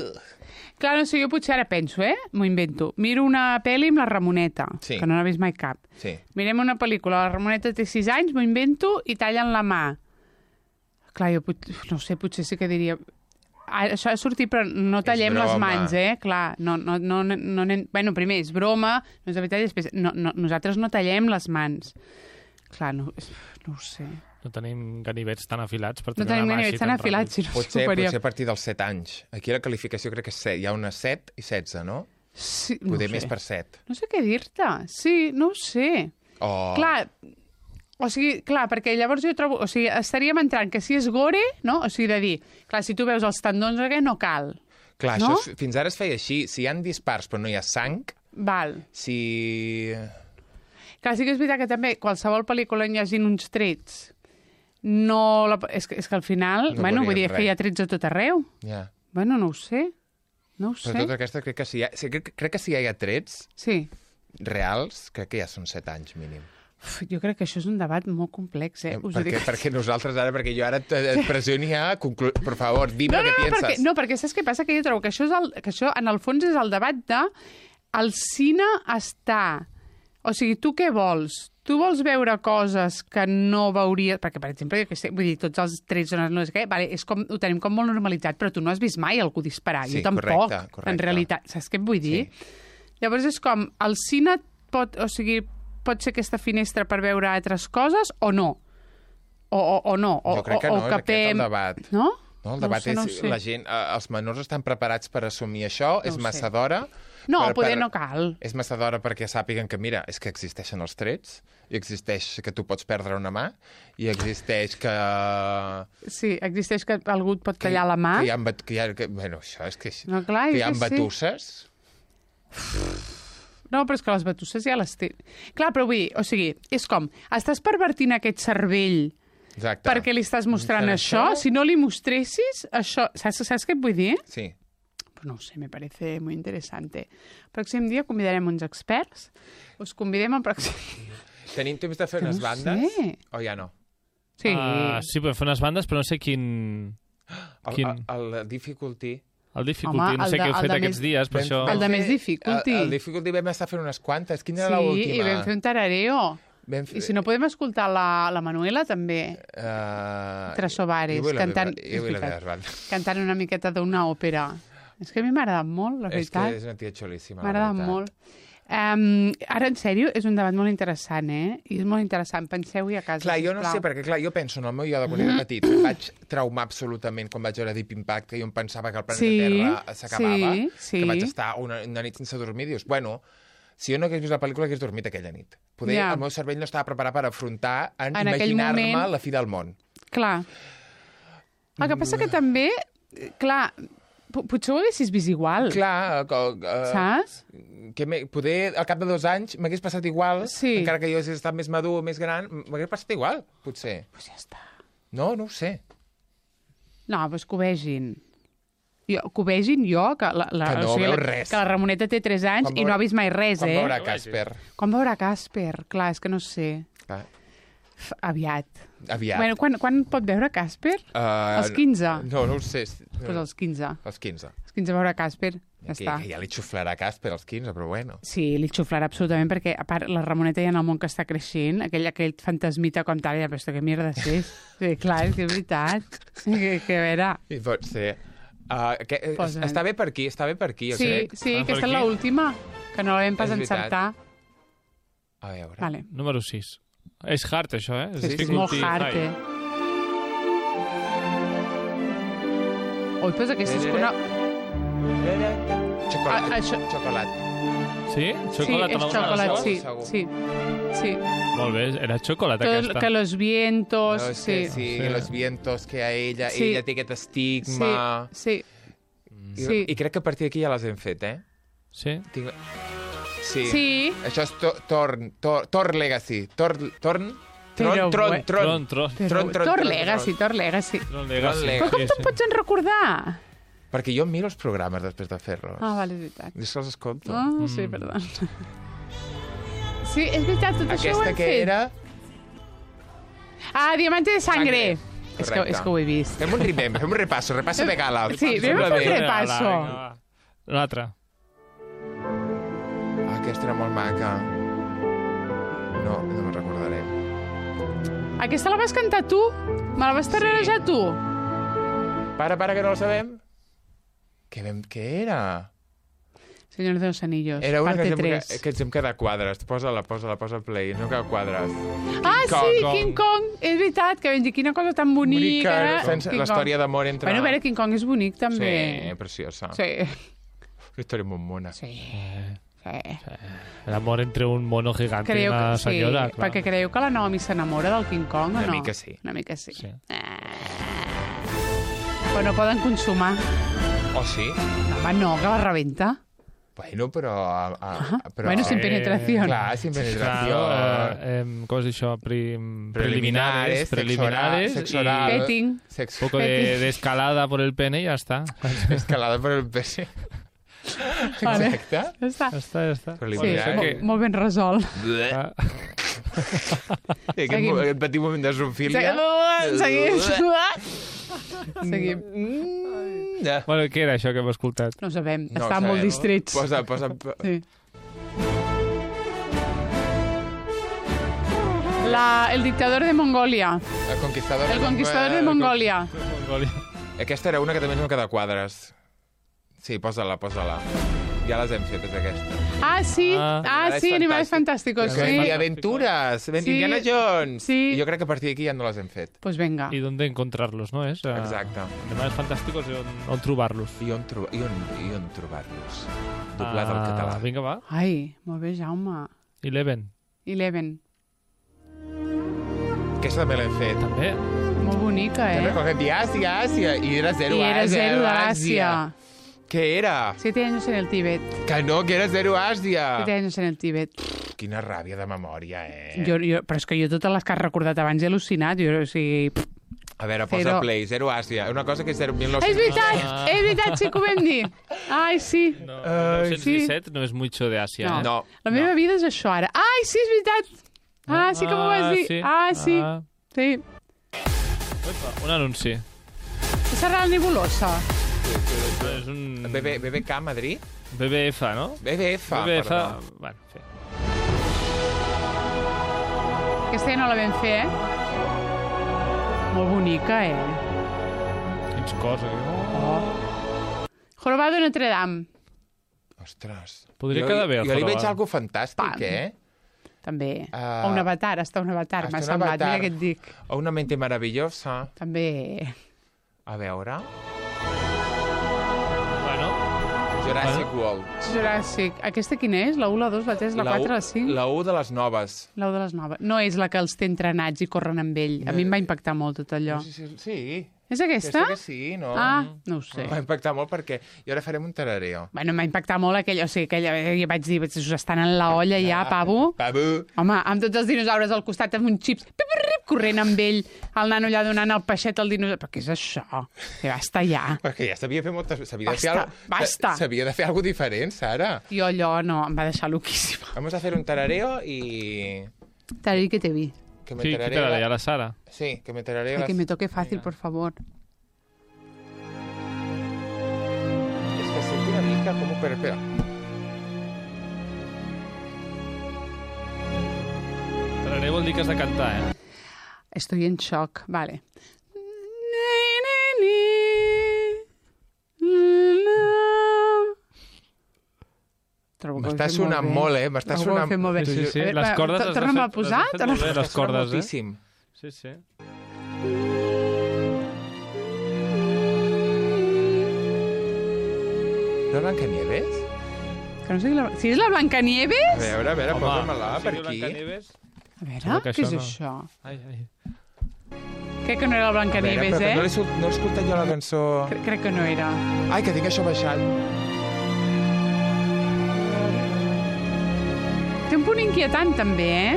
Clar, no sé, jo potser ara penso, eh? M'ho invento. Miro una pel·li amb la Ramoneta, Sí. que no n'ha vist mai cap. Sí. Mirem una pel·lícula, la Ramoneta té sis anys, m'ho invento i tallen la mà. Clar, jo pot... no sé, potser sí que diria... Ah, això ha sortit, però no tallem les broma. mans, eh? Clar, no, no, no, no, no, bueno, primer, és broma, no és de veritat, i després, no, no, nosaltres no tallem les mans. Clar, no, no ho sé. No tenim ganivets tan afilats per No tenir tenim una mà ganivets així tan tan afilats, ràpid. sinó Potser, superior. potser a partir dels set anys. Aquí la qualificació crec que és set. Hi ha una set i setze, no? Sí, no Poder ho sé. més per set. No sé què dir-te. Sí, no ho sé. Oh. Clar, o sigui, clar, perquè llavors jo trobo... O sigui, estaríem entrant que si és gore, no? O sigui, de dir, clar, si tu veus els tendons, que no cal. Clar, no? això és, fins ara es feia així. Si hi ha dispars però no hi ha sang, Val. si... Clar, sí que és veritat que també qualsevol pel·lícula on hi hagin uns trets no... La... És, que, és que al final, No bueno, vull veuríem dir que hi ha res. trets a tot arreu. Ja. Bueno, no ho sé. No ho Però sé. tota aquesta crec que si hi ha, sí, crec, crec que si hi ha trets Sí. reals, crec que ja són set anys mínim. Uf, jo crec que això és un debat molt complex, eh? Us ho perquè, dic. perquè nosaltres ara, perquè jo ara et, et pressiono a conclu... Per favor, dime No, no, què no, piensas. perquè, no, perquè saps què passa? Que jo trobo que això, és el, que això en el fons és el debat de el cine està... O sigui, tu què vols? Tu vols veure coses que no veuries... Perquè, per exemple, jo que sé, vull dir, tots els trets no, no sé què, vale, és com, ho tenim com molt normalitzat, però tu no has vist mai algú disparar. Sí, jo tampoc, correcte, correcte. en realitat. Saps què et vull dir? Sí. Llavors és com, el cine pot, o sigui, pot ser aquesta finestra per veure altres coses o no? O, o, o no? O, Jo crec que o, no, o és aquest capem... el debat. No? No, el No ho debat sé, no ho és... sé. La gent, eh, els menors estan preparats per assumir això, No és ho massa sé. d'hora... No, per- poder per- no cal. És massa d'hora perquè sàpiguen que, mira, és que existeixen els trets, i existeix que tu pots perdre una mà, i existeix que... Sí, existeix que algú et pot tallar la mà. Que hi ha, bat- que hi ha, que, bueno, això és que... No, clar, que és hi ha que sí. batusses. No, però és que les batusses ja les té. Clar, però vull dir, o sigui, és com, estàs pervertint aquest cervell Exacte. perquè li estàs mostrant Per això? això- Si no li mostressis, això... Saps, saps què et vull dir? Sí. Pues no ho sé, me parece muy interesante. El pròxim dia convidarem uns experts. Us convidem al pròxim... Tenim temps de fer Que unes no bandes? sé. O ja no? Sí. Uh, sí, podem fer unes bandes, però no sé quin... El, Quin? el, el Difficulty... El Difficulty, Home, no sé el què de- heu el fet de aquests més- dies, per Vam- això... El de més Difficulty. El, el Difficulty vam estar fent unes quantes. Quina era Sí, l'última? i vam fer un tarareo. Vam fer- I si no podem escoltar la, la Manuela, també. Uh, Trasovares, jo vull la cantant... meva- Jo vull és la veritat, meva banda. cantant una miqueta d'una òpera. És que a mi m'ha agradat molt, la És que veritat. és una tia xulíssima. M'ha la agradat veritat. molt. Um, ara, en sèrio, és un debat molt interessant, eh? I és molt interessant. Penseu-hi a casa, Clar, jo no sisplau. sé, perquè clar, jo penso en el meu jo de quan era petit, em vaig traumar absolutament quan vaig veure Deep Impact, que jo em pensava que el planeta Sí, Terra s'acabava, sí, sí. que vaig estar una, una nit sense dormir, dius, bueno, si jo no hagués vist la pel·lícula, hagués dormit aquella nit. Poder, Ja. el meu cervell no estava preparat per afrontar, en, En aquell imaginar-me moment- la fi del món. Clar. El que passa que també, clar, po- potser ho haguessis vist igual, Clar, que, uh, saps? que me, poder al cap de dos anys m'hagués passat igual, Sí. encara que jo hagués estat més madur, més gran, m'hagués passat igual, potser. Pues ja està. No, no ho sé. No, doncs que ho vegin. Jo, que ho vegin jo, que la, la, Que no o sigui, veu la, res. que la Ramoneta té tres anys Quan i no veurà- ha vist mai res, Quan eh? veurà Casper. Quan veurà Casper? Clar, és que no sé. Clar, F, aviat. aviat. Bueno, quan, quan pot veure Casper? Uh, als quinze? No, no ho sé. Pues als quinze. Als quinze. Als quinze veure Casper. Ja que, està. que ja li xuflarà Casper als quinze, però bueno. Sí, li xuflarà absolutament, perquè a part la Ramoneta ja en el món que està creixent, aquell, aquell fantasmita com tal, ja, però esto que mierda és? Sí, clar, és que és veritat. Que, que a veure... I pot ser... Uh, que, Posa'n. està bé per aquí, està bé per aquí, jo Sí, crec. sí, Ah, per aquesta és aquí? l'última, que no la vam pas És veritat. encertar. A veure... Vale. Número sis. És hard, això, eh? Sí, sí, és difficulty molt hard, high. eh? Ui, doncs aquesta és que una... Xocolat. Ah, això- Xocolat. Sí? Sí, Xocolat és en alguna xocolat, de les sí, dues? segur. sí, sí. Molt bé, era xocolat Tot, aquesta. que los vientos... No, és sí. que sí, Sí. los vientos que a ella, Sí. ella té aquest estigma... Sí, I, sí. I crec que a partir d'aquí ja les hem fet, eh? Sí? Tinc... Sí. Sí. Això és to Torn, Tor, Tor Legacy. Tor, Torn? Però Tron, Tron, bue- Tron. Tron, tron. Però, Tron, tron, Tor tron, Legacy, Tor Legacy. Tron Legacy. Legacy. Però com Sí, te'n sí. pots en recordar? Perquè jo em miro els programes després de fer-los. Ah, vale, és veritat. És que els escolto. Ah, sí, perdó. Sí, és veritat, tot això ho Aquesta hem que fet. era... Ah, Diamante de Sangre. Sangre. És que, Correcte. és que ho he vist. Fem un ribem, fem un repasso, repasso de gala. Sí, Em sembla anem a fer bé. un Vinga, repasso. va, vinga, va. L'altra. Ah, aquesta era molt maca. No, no me'n recordaré. Aquesta la vas cantar tu? Me la vas tararejar tu? Para, para, que no la sabem. Què, vam, què era? Señor de los Anillos, Era una parte que, ens hem, tres. que ens hem quedat quadres. Posa-la, posa-la, posa el play. No queda quadres. Ah, Kong, sí, Kong. King Kong. És veritat, que vam dir quina cosa tan bonica. Bonica, fent King la història Kong. d'amor entre... Bueno, a veure, King Kong és bonic, també. Sí, preciosa. Sí. Una història molt mona. Sí. sí. L'amor entre un mono gegante i Creu una que, sí, senyora, clar. perquè creieu que la Naomi s'enamora del King Kong o Una no? mica sí. Una mica sí. Sí. Ah. Però no poden consumar. Oh, sí? Home, no, que la rebenta. Bueno, però... A, a, però Bueno, sin penetración. Clar, sin penetració. Clar, eh, eh, com es diu això? Prim, preliminares. Preliminares. Sexo oral. y Petting. Sexo un poco de, de escalada por el pene y ya está. escalada por el pene. Vale. Exacte. Ja està. Ja està, ja està. Sí, Preliminar. molt, molt ben resolt. Ah, I aquest, Seguim. mo- aquest petit moment de zoofília. Seguim. Seguim. No, bueno, què era això que hem escoltat? No ho sabem, no ho estan sabem. molt distrets. Posa, posa... Sí. La, el dictador de Mongolia. El conquistador, El conquistador de Mongolia. Mongolia. Aquesta era una que també ens va quedar quadres. Sí, posa-la, posa-la. Ja les hem fetes, aquesta. Ah, sí. Ah. Ah, Animales sí, Animales fantàsticos. Fantásticos. Sí. Sí. I aventures, ben Sí. Indiana Jones. Sí. I jo crec que a partir d'aquí ja no les hem fet. Pues venga. I d'on encontrarlos, no? És, uh, Exacte. Animals fantàsticos i on, on trobar-los. I on, tro i on, i on trobar-los. Doblat al Ah, català. Vinga, va. Ai, molt bé, Jaume. Eleven. Eleven. Aquesta també l'hem fet. També. Molt bonica, Te'n eh? recordes? I Àsia, Àsia. I era zero I era Àsia. zero d'Àsia. Què era? Siete años en el Tíbet. Que no, que era zero Àsia. Siete años en el Tíbet. Quina ràbia de memòria, eh? Jo, jo, però és que jo totes les que has recordat abans he al·lucinat. Jo, o sigui... pff. A veure, posa Zero. play. Zero Àsia. Una cosa que és zero... mil És nou-cents... veritat, és veritat, sí que ho vam dir. Ai, sí. No, Ai, nou cents disset no és mucho de Àsia. No. Eh? No. La meva vida és això ara. Ai, sí, és veritat. Ah, sí que m'ho vas dir. sí. Ah, sí. Ah. Sí. Un anunci. Serà la nebulosa. És un... B B, B B K Madrid? B B F, no? B B F, B B F... perdó. Bueno, sí. Aquesta ja no la vam fer, eh? Molt bonica, eh? Quins cos, eh? Oh. Jorobado de Notre Dame. Ostres. Podria jo, quedar bé, el Jo li veig jorobado. algo fantàstic, Pam. eh? També. Ah. O un avatar, està un avatar, Hasta m'ha un semblat. avatar. Mira què et dic. O una mente maravillosa. També. A veure... Bueno, Jurassic World. Jurassic. Aquesta quina és? La u, la dos, la tres, la quatre, u- la cinc? La u de les noves. La u de les noves. No és la que els té entrenats i corren amb ell. A mi em va impactar molt tot allò. Sí, sí, sí. És aquesta? Aquesta que sí, no? Ah, no ho sé. M'ha impactat molt perquè... I ara farem un tarareo. Bueno, m'ha impactat molt aquella, o sigui, aquella, ja vaig dir, us estan en la olla ja, pavo. Pavo. Home, amb tots els dinosaures al costat amb uns xips, pip, pip, pip, corrent amb ell, el nano allà donant el peixet al dinosaure. Però què és això? Que basta ja. Perquè ja s'havia de fer moltes... S'havia de fer Basta, algo... basta. S'havia de fer alguna diferent, Sara. Jo allò no, em va deixar loquíssima. Vamos a hacer un tarareo y... Te vi que te vi. Que me sí, qui tarareo... t'agrada? La Sara? Sí, que me tarareo... Ay, que las- me toque fácil, Venga. por favor. És que sento una mica com ho Espera, espera. Tararé vol dir que has de cantar, eh? Estoy en shock. Vale. M'està sonant molt, eh? M'està sonant... molt bé. Sí, sí, sí. A veure, Les cordes les has torna'm a fet- posar, les has fet torna'm molt bé, a les cordes, eh? moltíssim. Sí, sí. La Blancanieves? Que no sé la... Si és la Blancanieves? A veure, a veure, Home, posa-me-la si per diu aquí. Blancanieves... A veure, Sembla que què és això no. això? Ai, ai. Crec que no era la A veure, Blancanieves, però que no eh? l'he sol- no he escoltat jo la cançó... Cre- Crec que no era. Ai, que tinc això baixat. Té un punt inquietant, també, eh?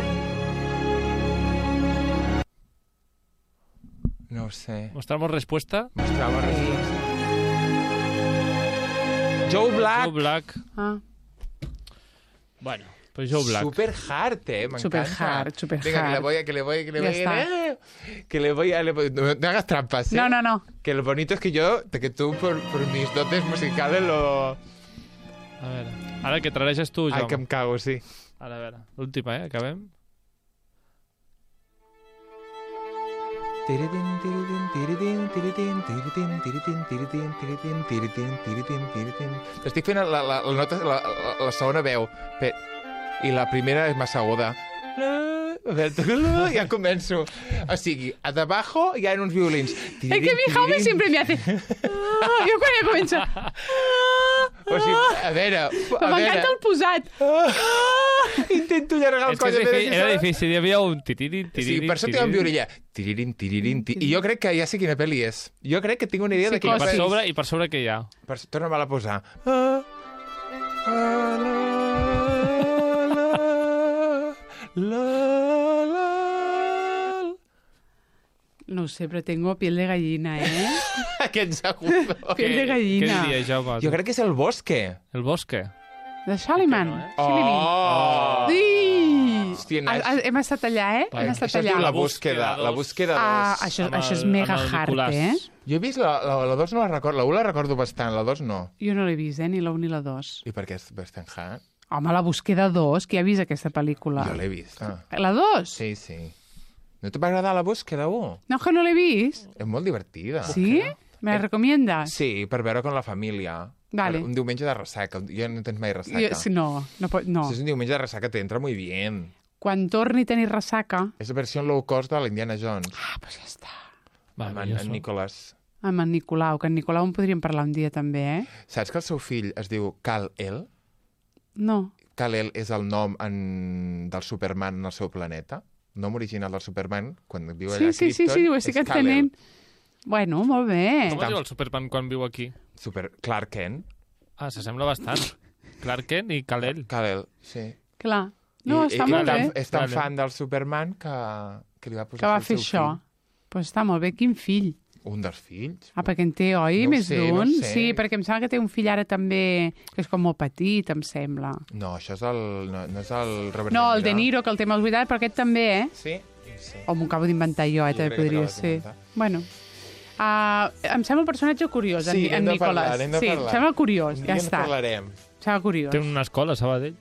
No ho sé. Mostramos respuesta. Mostrava resposta. Joe Black. Joe Black. Ah. Bueno, pues Joe Black. Super hard, eh, m'encanta. Super hard, super Venga, que le hard. voy a, que le voy, que le Ya voy, está. eh, que le voy a, le voy- no, no hagas trampas, ¿eh? No, no, no. Que lo bonito es que yo, que tú por, por mis dotes musicales lo... A veure, ara que trareges tu, Ai, Jaume. que em cago, sí. Ara, a veure, l'última, eh? Acabem. Tiritin, tiritin, tiritin, tiritin, tiritin, tiritin, tiritin, tiritin, tiritin, tiritin, tiritin. Estic fent la, la, la, nota, la, la, la segona veu, pe- i la primera és massa aguda. A veure, ja començo. O sigui, a debajo hi ha uns violins. Es que mi Jaume siempre me hace... Ah, jo quan ja comença... O sigui, a veure... a Però veure. m'encanta el posat. Intento allargar el És que coll. és a veure difícil, si era sona. difícil, hi havia un tiririn, Sí, tiririn, per això tinc un tiririn. violí allà. Tiririn, tiririn, ti- I jo crec que ja sé quina pel·li és. Jo crec que tinc una idea de I quina per pel·li és. sobre, i per sobre què hi ha? Per... Torna-me-la a posar. Ah, ah, la, la, la, la. No ho sé, però tengo piel de gallina, eh? Aquests agudos. Piel de Què gallina. diries, Jaume? Jo crec que és el Bosque. El Bosque. De Shaliman. Que no, eh? Shilimin. Oh! Sí! Hòstia, Ha- Naix. ha- Hem estat allà, eh? Va, Hem Això estat es diu allà. la La búsqueda. búsqueda La dos. búsqueda Ah, dos. això, Amb això és el- mega amb el hard, Nicolàs. eh? Jo he vist la, la, la dos, no la recordo. La un la recordo bastant, la dos no. Jo no l'he vist, eh? Ni la un ni la dos. I per què és bastant hard? Home, la búsqueda dos, qui ha vist aquesta pel·lícula? Jo l'he vist. Ah. La dos? Sí, sí. No te va agradar la búsqueda un? No, que no l'he vist. És molt divertida. Sí? Me la recomiendas? Sí, per veure con la família. Vale. Per un diumenge de ressaca. Jo no tens mai ressaca. Jo, sí, no, no, pot, no. Si és un diumenge de ressaca, te entra muy bien. Quan torni a tenir ressaca... És la versió low cost de l'Indiana Jones. Ah, doncs ja està. Amb en, Maravilloso. en Nicholas. Amb en Nicolau, que en Nicolau en podríem parlar un dia també, eh? Saps que el seu fill es diu Kal-El? No. Kal-El és el nom en... del Superman en el seu planeta. El nom original del Superman, quan viu allà Sí, a sí, sí, Krypton, sí, ho és estic Kal-El. entenent. Bueno, molt bé. Com es diu el Superman quan viu aquí? Super... Clark Kent. Ah, s'assembla bastant. Clark Kent i Kal-El. Kal-El, sí. Clar. No, I, està i, molt i tan, bé. és tan Vale. fan del Superman que, que li va posar Que va el fer seu això. Doncs pues està molt bé. Quin fill? Fill. Un dels fills. Ah, perquè en té, oi? No ho Més sé, no d'un? ho sé. Sí, perquè em sembla que té un fill ara també, que és com molt petit, em sembla. No, això és el... No, no és el Robert No, el De Niro. Niro, que el té molt vuitat, però aquest també, eh? Sí, sí. O m'ho acabo d'inventar jo, eh? Jo També crec que podria t'ho ser. vas inventar. Bueno. Uh, em sembla un personatge curiós, Sí, en, n'hem en de Nicolàs. parlar, n'hem de sí, parlar. em sembla curiós, Un ja dia en està. parlarem. Em sembla curiós. Té una escola a Sabadell.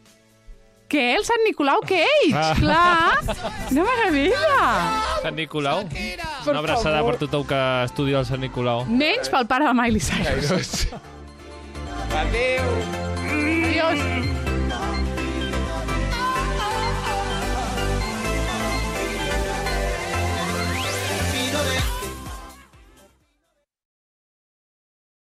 Què? El Sant Nicolau Cage? Ah. Clar! Una meravella! Sant Nicolau. Una abraçada per tothom que estudia el Sant Nicolau. Menys pel pare de Miley Cyrus. Adéu! Adiós!